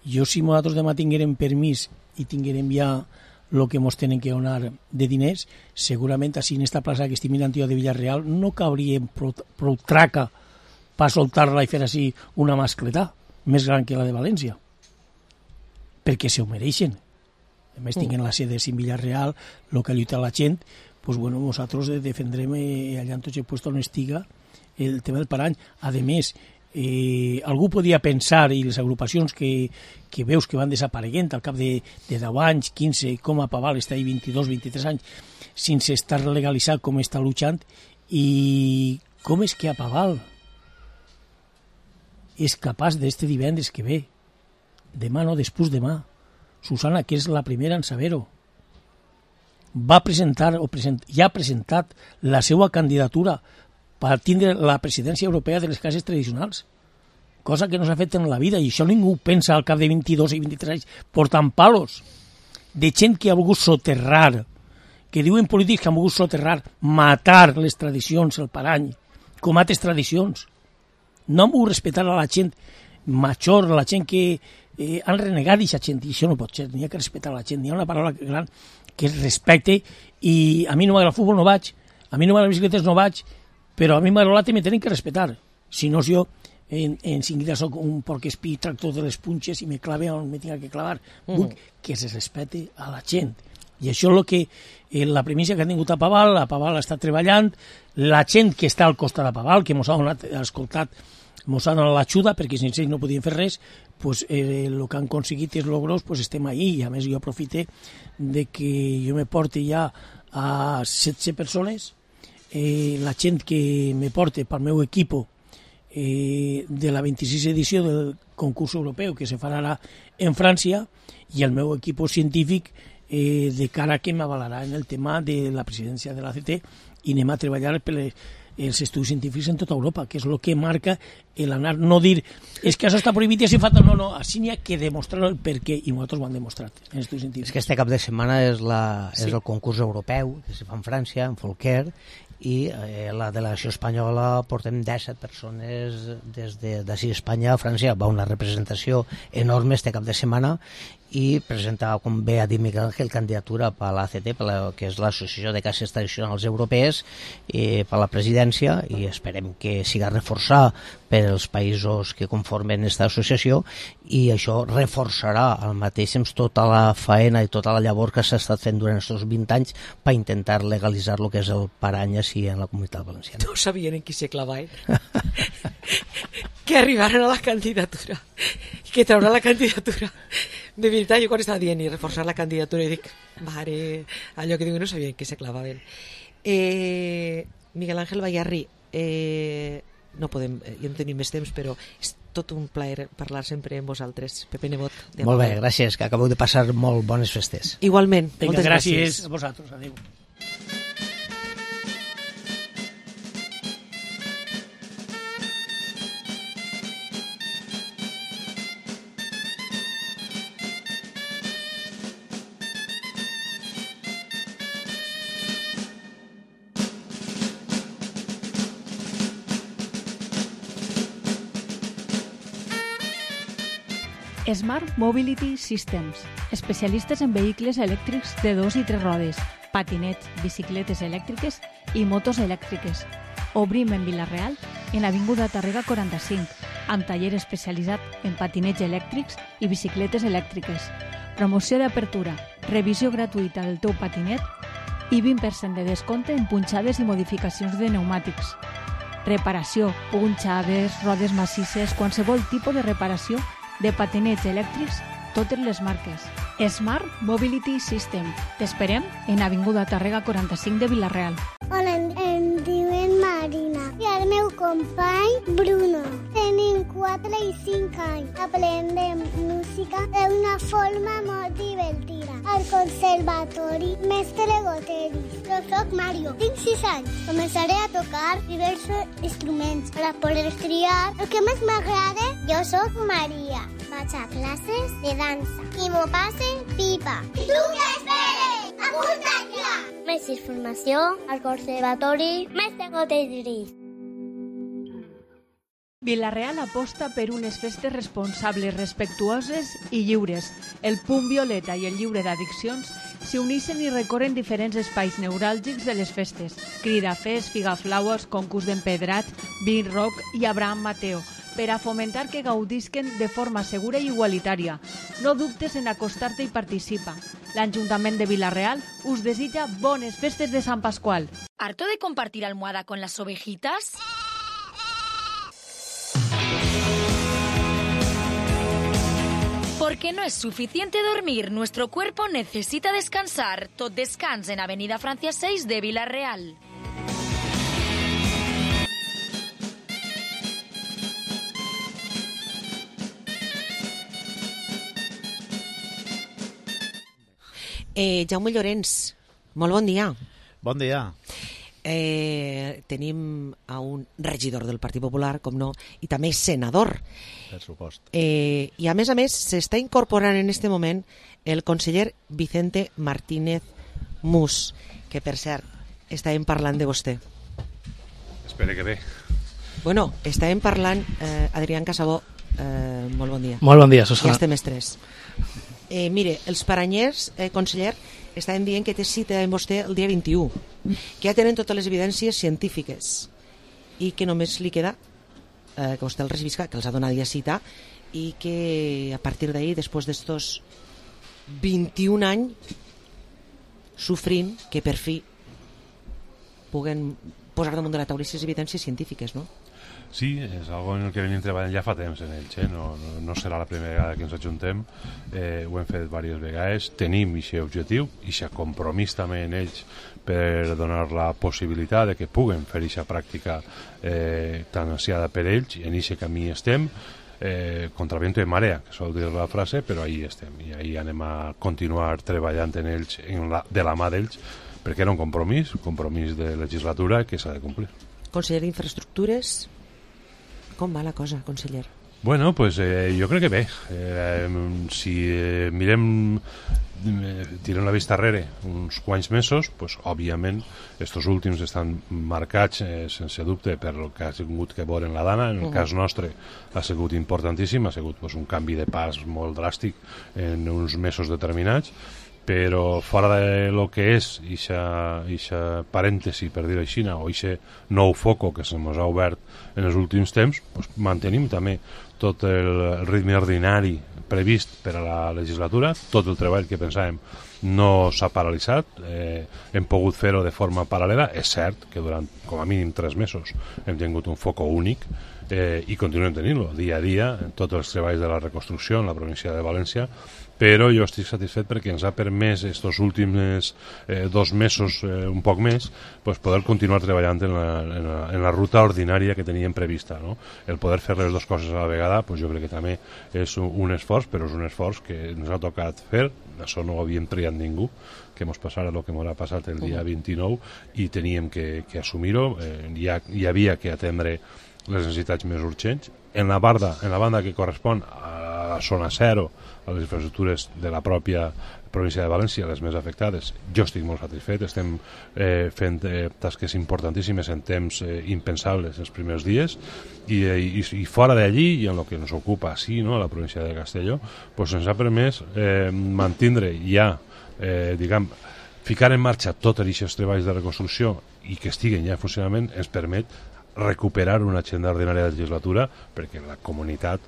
Jo, si nosaltres demà tinguérem permís i tinguérem ja el que ens tenen que donar de diners, segurament així en esta plaça que estic mirant jo de Villarreal no cauríem prou traca per soltar-la i fer així una mascletà més gran que la de València, perquè se ho mereixen. A més, tinguin la sede en Villarreal, el que lluita la gent, doncs, bueno, nosaltres defendrem allà en tots els puestos on estiga el tema del parany. A més, algú podia pensar, i les agrupacions que veus que van desapareguent al cap de 10 anys, 15, com a Paval està ahí 22, 23 anys, sense estar legalitzat com està luchant, i com és que a Paval és capaç d'este divendres que ve, demà no, després demà, Susana, que és la primera en saber-ho, va presentar ja ha presentat la seva candidatura per tindre la presidència europea de les cases tradicionals, cosa que no s'ha fet en la vida, i això ningú pensa al cap de 22 i 23 anys, portant palos de gent que ha volgut soterrar, que diuen polítics que han volgut soterrar, matar les tradicions, el parany, com altres tradicions. No han volgut respectar a la gent major, la gent que han renegat d'aquesta gent, i això no pot ser, n'hi ha que respectar a la gent, n'hi ha una paraula gran que és respecte, i a mi no m'agrada el futbol, no vaig, a mi no m'agrada les bicicletes, no vaig, però a mi m'agrada l'altre, me tenen que respectar, si no jo en seguida soc un porc-espí, tractor de les punxes i me clave on me tinga que clavar. Vull que se respecte a la gent, i això és el que la premissa que ha tingut a Paval està treballant, la gent que està al costat de Paval, que ens ha donat escoltat, ens ha donat l'ajuda, perquè sense ells no podien fer res, pues, el que han aconseguit és logros, pues, estem ahí, i a més jo aprofite de que jo me porte ja a 16 persones, la gent que me porte pel meu equip de la 26 edició del concurs europeu que se farà ara en França, i el meu equip científic de cara que m'avalarà en el tema de la presidència de l'ACT, i anem a treballar per els estudis científics en tota Europa, que és el que marca l'anar, no dir, és que això està prohibit i així fa, no, així n'hi ha que demostrar el per què, i nosaltres ho hem demostrat en estudis científics. És que este cap de setmana és el concurs europeu que se fa en França, en Folquer, i la delegació espanyola portem 17 persones des d'ací a Espanya a França. Va una representació enorme este cap de setmana i presentava, com bé ha dit Miguel Ángel, candidatura per l'ACT, que és l'Associació de Caixes Tradicionals Europees, per la presidència, i esperem que siga reforçada per els països que conformen aquesta associació, i això reforçarà al mateix temps tota la faena i tota la llavor que s'ha estat fent durant aquests 20 anys per intentar legalitzar el que és el parany així en la Comunitat Valenciana. No sabien en qui se clavaven. Que arribaran a la candidatura, que traurà la candidatura. De veritat, jo quan estava dient i reforçar la candidatura, i dic, mare, allò que dic, no sabien que se clavaven. Miguel Ángel Bayarri, no podem, ja no tenim més temps, però és tot un plaer parlar sempre amb vosaltres. Pepe Nebot. Molt bé, gràcies, que acabeu de passar molt bones festes. Igualment, moltes gràcies. A vosaltres, adéu. Smart Mobility Systems, especialistes en vehicles elèctrics de 2 i 3 rodes, patinets, bicicletes elèctriques i motos elèctriques. Obrim en Vila-real, en Avinguda Tàrrega 45, amb taller especialitzat en patinets elèctrics i bicicletes elèctriques. Promoció d'apertura, revisió gratuïta del teu patinet i 20% de descompte en punxades i modificacions de pneumàtics. Reparació, punxades, rodes massisses, qualsevol tipus de reparació de patinets elèctrics, totes les marques. Smart Mobility System. T'esperem en Avinguda Tàrrega 45 de Vila-real. Hola, em diuen Marina i el meu company Bruno. Tenim 4 i 5 anys. Aprendem música d'una forma molt divertida. Al conservatori Mestre Goteris. Jo soc Mario, tinc 6 anys. Començaré a tocar diversos instruments per poder triar el que més m'agrada. Jo soc Maria. Vaig a classes de dansa i m'ho passe pipa. I tu què esperes? Apunta't ja! Més informació al conservatori Mestre Goteris. Vila-real aposta per unes festes responsables, respectuoses i lliures. El Punt Violeta i el Lliure d'Addiccions s'hi uneixen i recorren diferents espais neuràlgics de les festes. Cridafés, figaflaues, concurs d'empedrats, Vin Rock i Abraham Mateo, per a fomentar que gaudisquen de forma segura i igualitària. No dubtes en acostar-te i participa. L'Ajuntament de Vila-real us desitja bones festes de Sant Pasqual. ¿Harto de compartir almohada con las ovejitas? Porque no es suficiente dormir, nuestro cuerpo necesita descansar. Tot descans en Avenida Francia 6 de Vila-real. Jaume Llorenç, molt bon dia. Bon dia. Tenim a un regidor del Partit Popular, com no, i també senador. Per supost. I a més s'està incorporant en este moment el conseller Vicente Martínez Mus, que per cert, estàvem parlant de vostè. Espero que bé. Bueno, estàvem parlant, Adrián Casabó, molt bon dia. Molt bon dia, Susana. Ja estem estrès. Mire, els paranyers, conseller, estaven dient que té cita amb vostè el dia 21, que ja tenen totes les evidències científiques i que només li queda que vostè el revisca, que els ha donat ja cita, i que a partir d'ahir, després d'estos 21 anys sofrint, que per fi puguen posar damunt de la taula les evidències científiques, no? Sí, és algo en el que venim treballant ja fa temps en ells, no serà la primera vegada que ens ajuntem, ho hem fet diverses vegades, tenim aquest objectiu i aquest compromís també en ells per donar la possibilitat de que puguen fer aquesta pràctica tan ansiada per ells, i en aquest camí estem, contra viento y marea, que sol dir la frase, però ahí estem, i ahí anem a continuar treballant en ells, de la mà d'ells, perquè era un compromís de legislatura que s'ha de complir. Conseller d'Infraestructures, com va la cosa, conseller? Bueno, pues jo crec que bé. Si mirem, tirem la vista darrere uns quants mesos, pues, òbviament, estos últims estan marcats, sense dubte, per el que ha sigut que veure en la Dana. En el cas nostre ha sigut importantíssim, ha sigut pues, un canvi de pas molt dràstic en uns mesos determinats, però fora de lo que és ixa parèntesi, per dir-ho així, o ixe nou foco que se mos ha obert en els últims temps, pues, mantenim també tot el ritme ordinari previst per a la legislatura, tot el treball que pensàvem no s'ha paralitzat, hem pogut fer-ho de forma paral·lela. És cert que durant com a mínim 3 mesos hem tingut un foco únic i continuem tenint-lo dia a dia en tots els treballs de la reconstrucció en la província de València, però jo estic satisfet perquè ens ha permès estos últims 2 mesos, un poc més, pues poder continuar treballant en la ruta ordinària que teníem prevista, no? El poder fer les dues coses a la vegada, pues jo crec que també és un esforç, però és un esforç que ens ha tocat fer. Això no ho havíem triat ningú, que ens passara el que ens ha passat el dia 29 i teníem que assumir-ho. Hi havia que atendre les necessitats més urgents. En la banda que correspon a la zona zero, a les infraestructures de la pròpia província de València, les més afectades, jo estic molt satisfet. Estem fent tasques importantíssimes en temps impensables els primers dies i fora d'allí, i en el que ens ocupa sí, no, a la província de Castelló, pues ens ha permès mantindre ja, ficar en marxa tots aquests treballs de reconstrucció i que estiguen ja en funcionament ens permet recuperar una agenda ordinària de legislatura, perquè la comunitat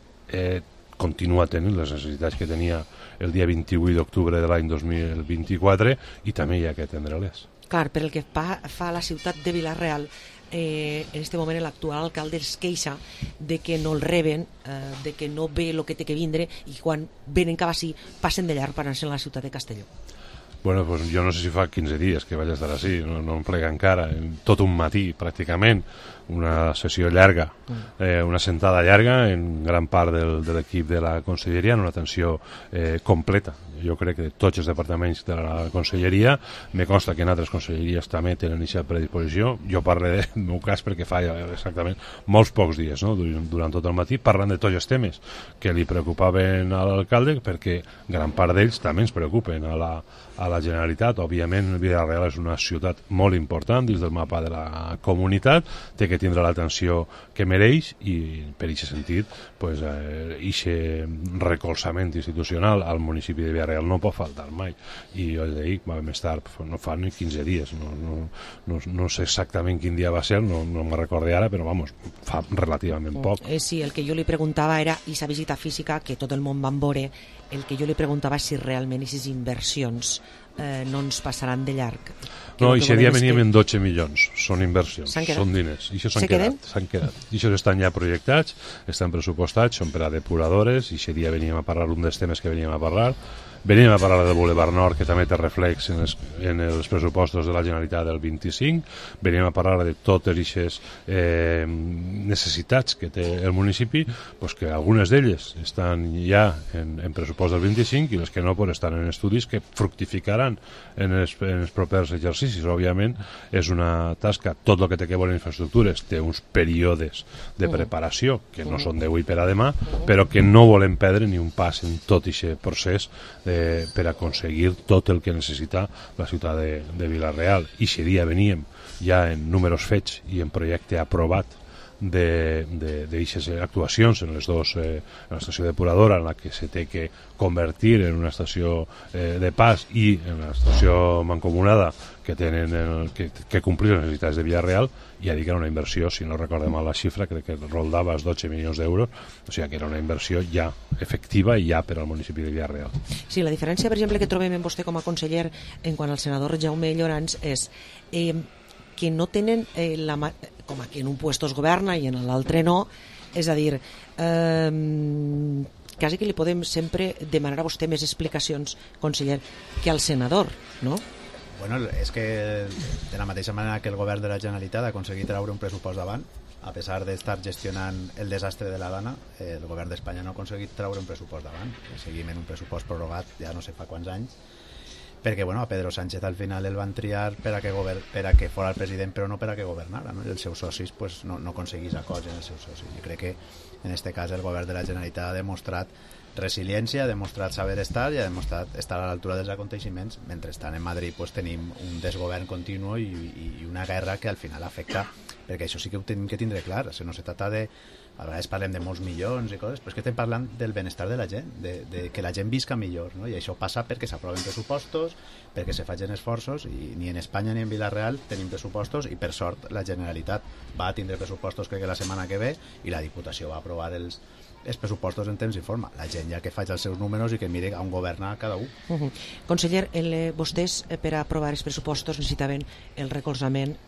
continua tenint les necessitats que tenia el dia 28 d'octubre de l'any 2024 i també hi ha que atendre-les. Clar, per el que fa a la ciutat de Vila-real, en aquest moment l'actual alcalde es queixa de que no el reben, de que no ve el que té que vindre i quan venen cap així passen de llarg per anar-se a la ciutat de Castelló. Bueno, pues jo no sé si fa 15 dies que vaig estar així, no em plega encara, tot un matí pràcticament, una sessió llarga, una sentada llarga en gran part de l'equip de la conselleria, en una atenció completa. Jo crec que tots els departaments de la conselleria, me consta que en altres conselleries també tenen aquesta predisposició. Jo parlo del meu cas perquè fa exactament molts pocs dies, no? Durant tot el matí, parlant de tots els temes que li preocupaven a l'alcalde, perquè gran part d'ells també ens preocupen a la Generalitat. Òbviament, Vila-real és una ciutat molt important dins del mapa de la comunitat, té que tindre l'atenció que mereix i per aquest sentit pues, recolzament institucional al municipi de Vila-real no pot faltar mai. I jo dic, vam estar, no fa ni 15 dies, no sé exactament quin dia va ser, no me'n recordo ara, però vamos, fa relativament poc. Sí, el que jo li preguntava era aquesta visita física que tot el món van veure, el que jo li preguntava és si realment aquestes inversions no ens passaran de llarg. No, i aquest dia veníem en 12 milions, són inversions, són diners, i això s'han quedat. I això estan ja projectats, estan pressupostats, són per a depuradores, i aquest dia veníem a parlar un dels temes que veníem a parlar del Boulevard Nord, que també té reflex en els pressupostos de la Generalitat del 25, veníem a parlar de totes aquestes necessitats que té el municipi, pues que algunes d'elles estan ja en pressupost del 25 i les que no pues, estan en estudis que fructificaran en els propers exercicis. Òbviament és una tasca, tot el que té que veure en infraestructures té uns períodes de preparació que no són d'avui per a demà, però que no volem perdre ni un pas en tot aquest procés per aconseguir tot el que necessita la ciutat de Vila-real. I aquest dia veníem ja en números fets i en projecte aprovat d'aquestes actuacions en les dues, en l'estació depuradora en la que se té que convertir en una estació de pas i en l'estació mancomunada que tenen que complir les necessitats de Vila-real, i ha dit que era una inversió, si no recordem mal la xifra, crec que rondava els 12 milions d'euros, o sigui que era una inversió ja efectiva i ja per al municipi de Vila-real. Sí, la diferència, per exemple, que trobem en vostè com a conseller en quant al senador Jaume Llorans és que no tenen com aquí en un puesto es governa i en l'altre no, és a dir, quasi que li podem sempre demanar a vostè més explicacions, conseller, que al senador, no? Bueno, és que de la mateixa manera que el govern de la Generalitat ha aconseguit treure un pressupost davant, a pesar d'estar gestionant el desastre de la Dana, el govern d'Espanya no ha aconseguit treure un pressupost davant. Seguim en un pressupost prorrogat ja no sé fa quants anys, perquè bueno, a Pedro Sánchez al final el van triar per a que fora el president, però no per a que governara, no? I els seus socis pues, no aconseguís acords en els seus socis. Jo crec que en aquest cas el govern de la Generalitat ha demostrat resiliència, ha demostrat saber estar i ha demostrat estar a l'altura dels aconteixements. Mentrestant en Madrid pues, tenim un desgovern continu i una guerra que al final afecta, perquè això sí que ho tenim que tindre clar, no se trata de... A vegades parlem de molts milions i coses, però és que estem parlant del benestar de la gent, de que la gent visca millor, no? I això passa perquè s'aproven pressupostos, perquè se facin esforços, i ni en Espanya ni en Vila-real tenim pressupostos, i per sort la Generalitat va tindre pressupostos crec que la setmana que ve, i la Diputació va aprovar els pressupostos en temps i forma. La gent ja que faig els seus números i que mire on governa cada un. Conseller, vostès per aprovar els pressupostos necessitaven el recolzament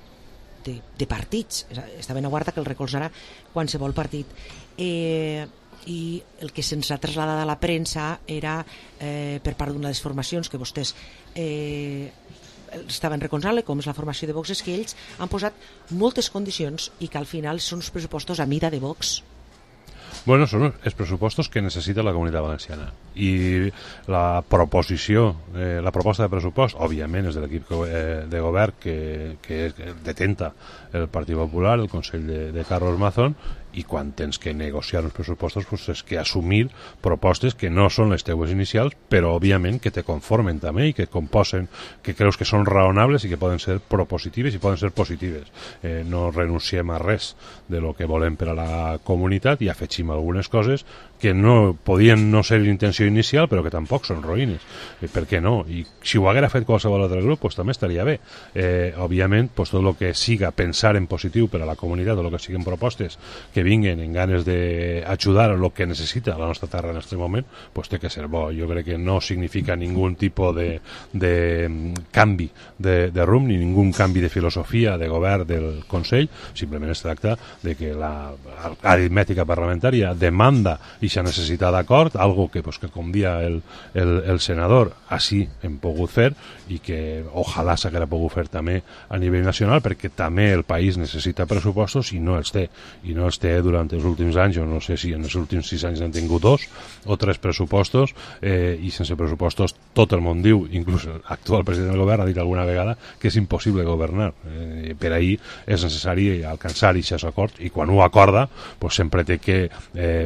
de partits, estaven a guarda que el recolzarà qualsevol partit, i el que se'ns ha traslladat a la premsa era per part d'una de les formacions que vostès estaven recolzant, com és la formació de Vox, és que ells han posat moltes condicions i que al final són uns pressupostos a mida de Vox. Bueno, són els pressupostos que necessita la Comunitat Valenciana, i la proposta de pressupost òbviament és de l'equip de govern que detenta el Partit Popular, el Consell de Carlos Mazón, i quan tens que negociar uns pressupostos pues és que assumir propostes que no són les teues inicials, però òbviament que te conformen també i que composen, que creus que són raonables i que poden ser propositives i poden ser positives. No renunciem a res de lo que volem per a la comunitat i afegim algunes coses que no podien no ser l'intenció inicial, però que tampoc són roïnes. Per què no? I si ho haguera fet qualsevol altre grup, pues també estaria bé. Òbviament, pues tot el que siga pensar en positiu per a la comunitat, o el que siguin propostes que vinguen en ganes d'ajudar a el que necessita la nostra terra en aquest moment, pues té que ser bo. Jo crec que no significa ningun tipus de canvi de rumb, ni ningun canvi de filosofia de govern del Consell, simplement es tracta de que l'aritmètica parlamentària demanda ixa necessitat d'acord, algo que, pues, que com dia el senador així hem pogut fer i que ojalà s'haguera pogut fer també a nivell nacional, perquè també el país necessita pressupostos i no els té durant els últims anys. Jo no sé si en els últims 6 anys han tingut 2 o 3 pressupostos, i sense pressupostos tot el món diu, inclús l'actual president del govern ha dit alguna vegada que és impossible governar. Per ahir és necessari alcançar aquests acords, i quan ho acorda pues sempre té que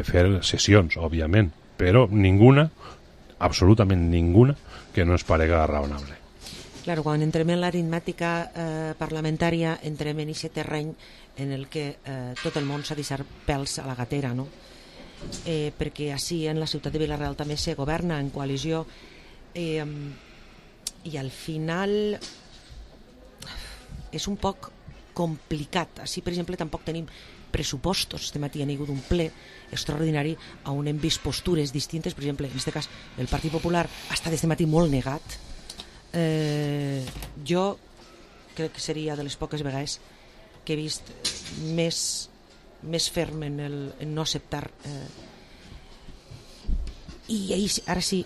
fer sessions, òbviament, però ninguna, absolutament ninguna, que no es parega raonable. Claro, quan entrem en l'aritmètica parlamentària entrem en aquest terreny en el que tot el món s'ha deixat pèls a la gatera, no? Perquè així en la ciutat de Vila-real també se governa en coalició, i al final és un poc complicat. Així, per exemple, tampoc tenim pressupostos. Este matí ha hagut un ple extraordinari on hem vist postures distintes. Per exemple, en aquest cas, el Partit Popular ha estat este matí molt negat. Jo crec que seria de les poques vegades que he vist més ferm en no acceptar. I ara sí,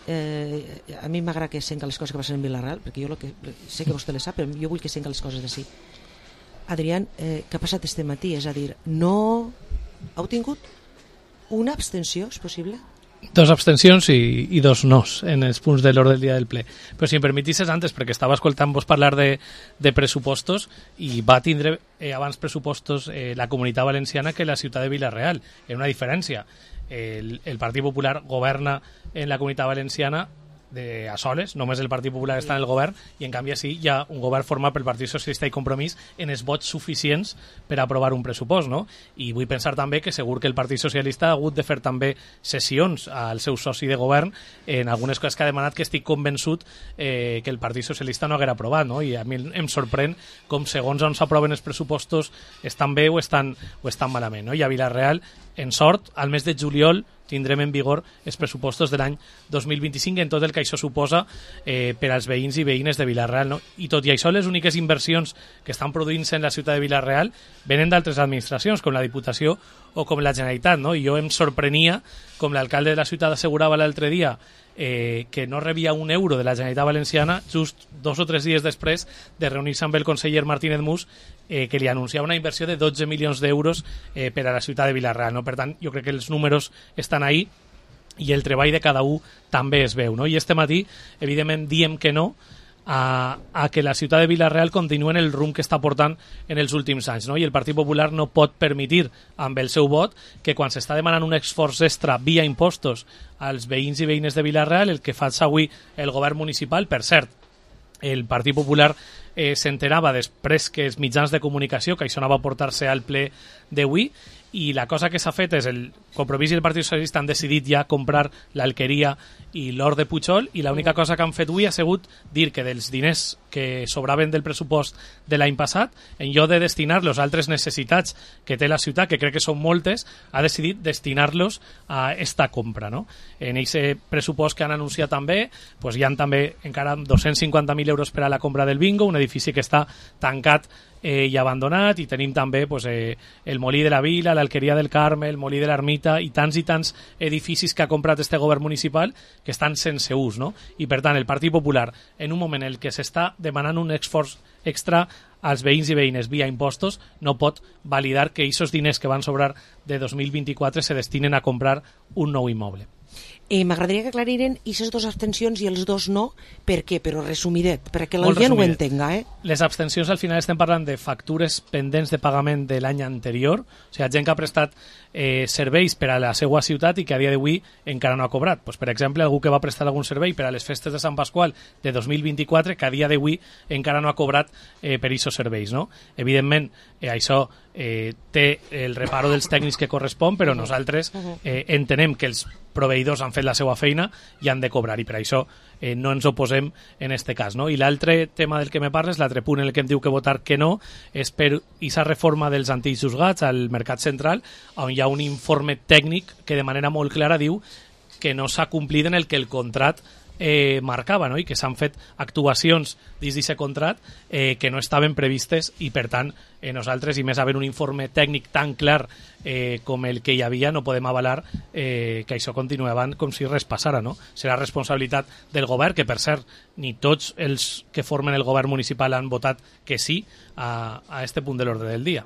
a mi m'agrada que senga les coses que passen en Vila-real, perquè jo sé que vostè les sap, però jo vull que senga les coses d'ací. Adrián, què ha passat este matí? És a dir, no heu tingut una abstenció, és possible? 2 abstencions i 2 nos en els punts de l'ordre del dia del ple. Però si em permetisses antes, perquè estava escoltant-vos parlar de pressupostos, i va tindre abans pressupostos la Comunitat Valenciana que la ciutat de Vila-real. Hi ha una diferència. El Partit Popular governa en la Comunitat Valenciana a soles, només el Partit Popular està en el govern, i en canvi sí hi ha un govern format pel Partit Socialista i Compromís en els vots suficients per aprovar un pressupost, no? I vull pensar també que segur que el Partit Socialista ha hagut de fer també sessions al seu soci de govern en algunes coses que ha demanat, que estic convençut que el Partit Socialista no haguera aprovat, no? I a mi em sorprèn com segons on s'aproven els pressupostos estan bé o estan malament, no? I a Vila-real, en sort, al mes de juliol tindrem en vigor els pressupostos de l'any 2025 en tot el que això suposa per als veïns i veïnes de Vila-real, no? I tot i això, les úniques inversions que estan produint-se en la ciutat de Vila-real venen d'altres administracions, com la Diputació o com la Generalitat, no? I jo em sorprenia, com l'alcalde de la ciutat assegurava l'altre dia, que no rebia un euro de la Generalitat Valenciana just 2 o 3 dies després de reunir-se amb el conseller Martínez Mus, que li anunciava una inversió de 12 milions d'euros per a la ciutat de Vila-real, no? Per tant, jo crec que els números estan ahí i el treball de cada un també es veu, no? I este matí, evidentment, diem que no a que la ciutat de Vila-real continua en el rumb que està portant en els últims anys, no? I el Partit Popular no pot permetir, amb el seu vot, que quan s'està demanant un esforç extra via impostos als veïns i veïnes de Vila-real, el que fa avui el govern municipal, per cert, el Partit Popular s'enterava després que els mitjans de comunicació que això anava a portar-se al ple d'avui, i la cosa que s'ha fet és el Compromís i el Partit Socialista han decidit ja comprar l'Alqueria i l'Hort de Pujol, i l'única cosa que han fet avui ha sigut dir que dels diners que sobraven del pressupost de l'any passat, en lloc de destinar-los a altres necessitats que té la ciutat, que crec que són moltes, ha decidit destinar-los a esta compra, no? En aquest pressupost que han anunciat també, pues hi ha també encara 250.000 euros per a la compra del bingo, un edifici que està tancat i abandonat, i tenim també pues, el Molí de la Vila, l'Alqueria del Carme, el Molí de l'Ermita i tants edificis que ha comprat este govern municipal que estan sense ús, no? I per tant el Partit Popular, en un moment en què s'està demanant un esforç extra als veïns i veïnes via impostos, no pot validar que aquests diners que van sobrar de 2024 se destinen a comprar un nou immoble. M'agradaria que aclariren aquestes dues abstencions i els dos no, per què? Però resumidet, perquè la gent ho entenga. Les abstencions al final estem parlant de factures pendents de pagament de l'any anterior, o sigui, gent que ha prestat serveis per a la seva ciutat i que a dia d'avui encara no ha cobrat. Pues, per exemple, algú que va prestar algun servei per a les festes de Sant Pasqual de 2024 que a dia d'avui encara no ha cobrat per aquests serveis, no? Evidentment, això té el reparo dels tècnics que correspon, però nosaltres entenem que els proveïdors han fet la seva feina i han de cobrar, i per això no ens oposem en este cas, no? I l'altre tema del que me parles, l'altre punt en el que em diu que votar que no, és per aquesta reforma dels antics juzgats al Mercat Central, on hi ha un informe tècnic que de manera molt clara diu que no s'ha complit en el que el contrat marcava, no? I que s'han fet actuacions dins d'aquest contrat que no estaven previstes, i per tant nosaltres, i més havent un informe tècnic tan clar com el que hi havia, no podem avalar que això continuava com si res passara, no? Serà responsabilitat del govern, que per cert ni tots els que formen el govern municipal han votat que sí a este punt de l'ordre del dia.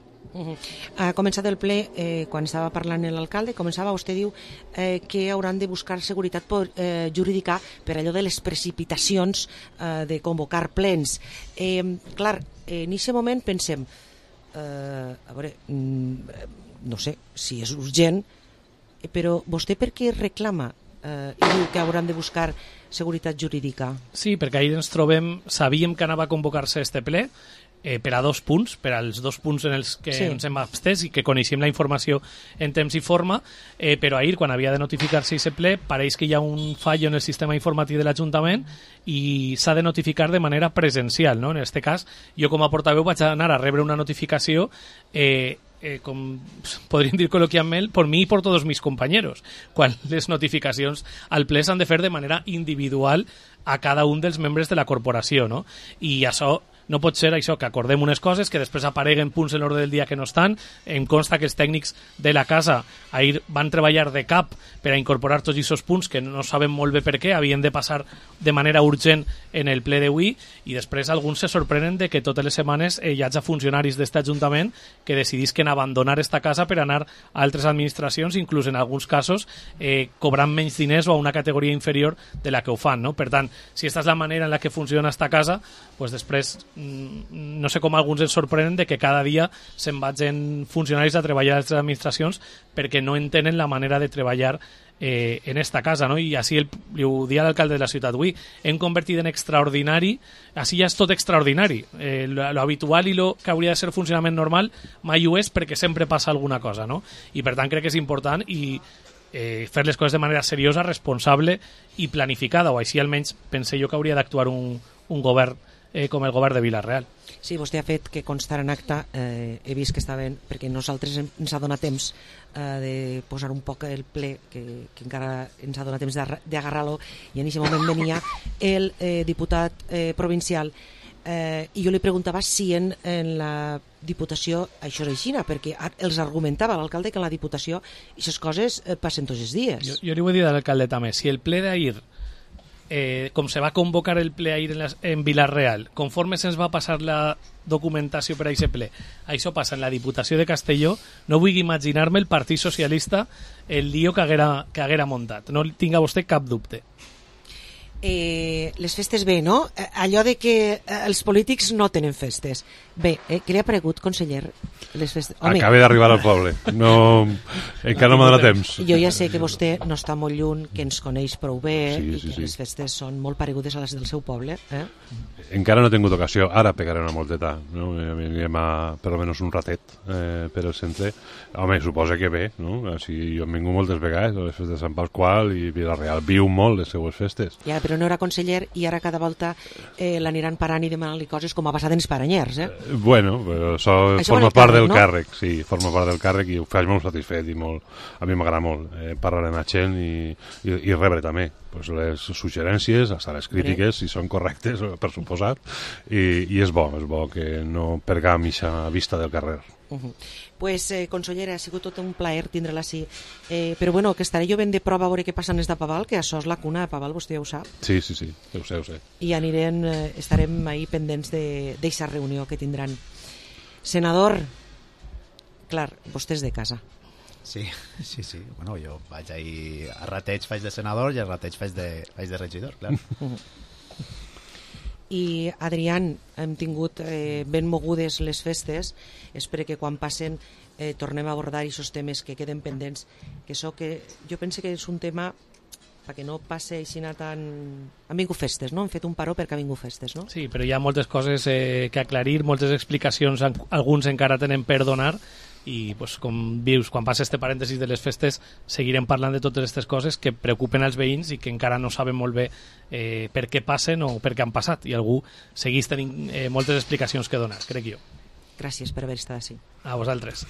Ha començat el ple, quan estava parlant l'alcalde, vostè diu que hauran de buscar seguretat jurídica per allò de les precipitacions de convocar plens. Clar, en aquest moment pensem, a veure, no sé si és urgent, però vostè per què reclama i diu que hauran de buscar seguretat jurídica? Sí, perquè ahir ens trobem, sabíem que anava a convocar-se este ple, per a dos punts, per als dos punts en els que ens hem abstès i que coneixem la informació en temps i forma, però ahir, quan havia de notificar-se aquest ple, pareix que hi ha un fallo en el sistema informàtic de l'Ajuntament i s'ha de notificar de manera presencial, no? En aquest cas, jo com a portaveu vaig anar a rebre una notificació com podríem dir col·loquialment, por mi i por todos mis compañeros, quan les notificacions al ple s'han de fer de manera individual a cada un dels membres de la corporació, no? I això no pot ser això, que acordem unes coses que després apareguen punts en l'ordre del dia que no estan. Em consta que els tècnics de la casa ahir van treballar de cap per a incorporar tots aquests punts que no sabem molt bé per què, havien de passar de manera urgent en el ple d'avui, i després alguns se sorprenen de que totes les setmanes hi hagi funcionaris d'aquest Ajuntament que decidisquen abandonar esta casa per anar a altres administracions, inclús en alguns casos cobrant menys diners o a una categoria inferior de la que ho fan, no? Per tant, si aquesta és la manera en la que funciona esta casa, pues després no sé com alguns ens sorprenen de que cada dia se'n vagin funcionaris a treballar a les administracions perquè no entenen la manera de treballar en esta casa, no? I així li ho dia l'alcalde de la ciutat avui, hem convertit en extraordinari, així ja és tot extraordinari, lo habitual i lo que hauria de ser funcionament normal mai ho és, perquè sempre passa alguna cosa, no? I per tant crec que és important i fer les coses de manera seriosa, responsable i planificada, o així almenys pensé jo que hauria d'actuar un govern com el govern de Vila-real. Sí, vostè ha fet que constar en acta, he vist que estaven, perquè nosaltres ens ha donat temps de posar un poc el ple, que encara ens ha donat temps d'agarrar-lo, i en aquest moment venia el diputat provincial, i jo li preguntava si en la Diputació això és així, perquè els argumentava l'alcalde que en la Diputació aquestes coses passen tots els dies. Jo li vull dir a l'alcalde també, si el ple d'ahir com se va convocar el ple ahir en Vila-real, conforme se'ns va passar la documentació per a aquest ple, això passa en la Diputació de Castelló, no vull imaginar-me el Partit Socialista el lío que haguera muntat, no tinga vostè cap dubte. les festes bé, no? Allò de que els polítics no tenen festes. Bé, què li ha paregut, conseller, les festes? Acabé d'arribar al poble. No, encara no m'ha donat temps. Jo ja sé que vostè no està molt lluny, que ens coneix prou bé i que les festes són molt paregudes a les del seu poble. Encara no he tingut ocasió. Ara pegaré una molteta. No? Anirem per almenys un ratet per el centre. Home, suposa que bé. No? Així, jo hem vingut moltes vegades a les festes de Sant Pasqual i Vila-real viu molt les seues festes. Ja, però no era conseller i ara cada volta l'aniran parant i demanant-li coses com ha passat en els paranyers, Bueno, però això forma part del càrrec, sí, forma part del càrrec i ho faig molt satisfet i molt, a mi m'agrada molt parlar amb la gent i rebre també pues, les suggerències, hasta les crítiques, si són correctes, per suposat, i és bo que no pergam aquesta vista del carrer. Pues, consellera, ha sigut tot un plaer tindre-la així. Però bueno, que estaré jo ben de prova a veure què passa en des de Paval, que això és la cuna de Paval, vostè ja ho sap. Sí, ho sé. I estarem ahí pendents d'eixa reunió que tindran. Senador, clar, vostè és de casa. Sí. Bueno, jo vaig ahir a rateig faig de senador i a rateig faig de regidor, clar. I Adrián, hem tingut ben mogudes les festes, espero que quan passen tornem a abordar aquests temes que queden pendents, que això que jo penso que és un tema perquè no passe així tan... Han vingut festes, no? Han fet un paró perquè han vingut festes, no? Sí, però hi ha moltes coses que aclarir, moltes explicacions, alguns encara tenen per donar, i pues, com vius, quan passa este parèntesis de les festes seguirem parlant de totes aquestes coses que preocupen als veïns i que encara no saben molt bé per què passen o per què han passat, i algú segueix tenint moltes explicacions que donar, crec jo. Gràcies per haver estat així. A vosaltres.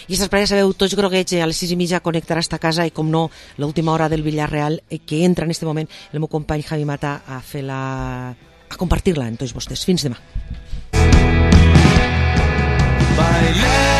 I estas parelles sabeu, tots grogueig a les 6:30 connectarà esta casa i com no, l'última hora del Villarreal que entra en este moment el meu company Javi Mata a compartir-la amb tots vostès. Fins demà. Bailem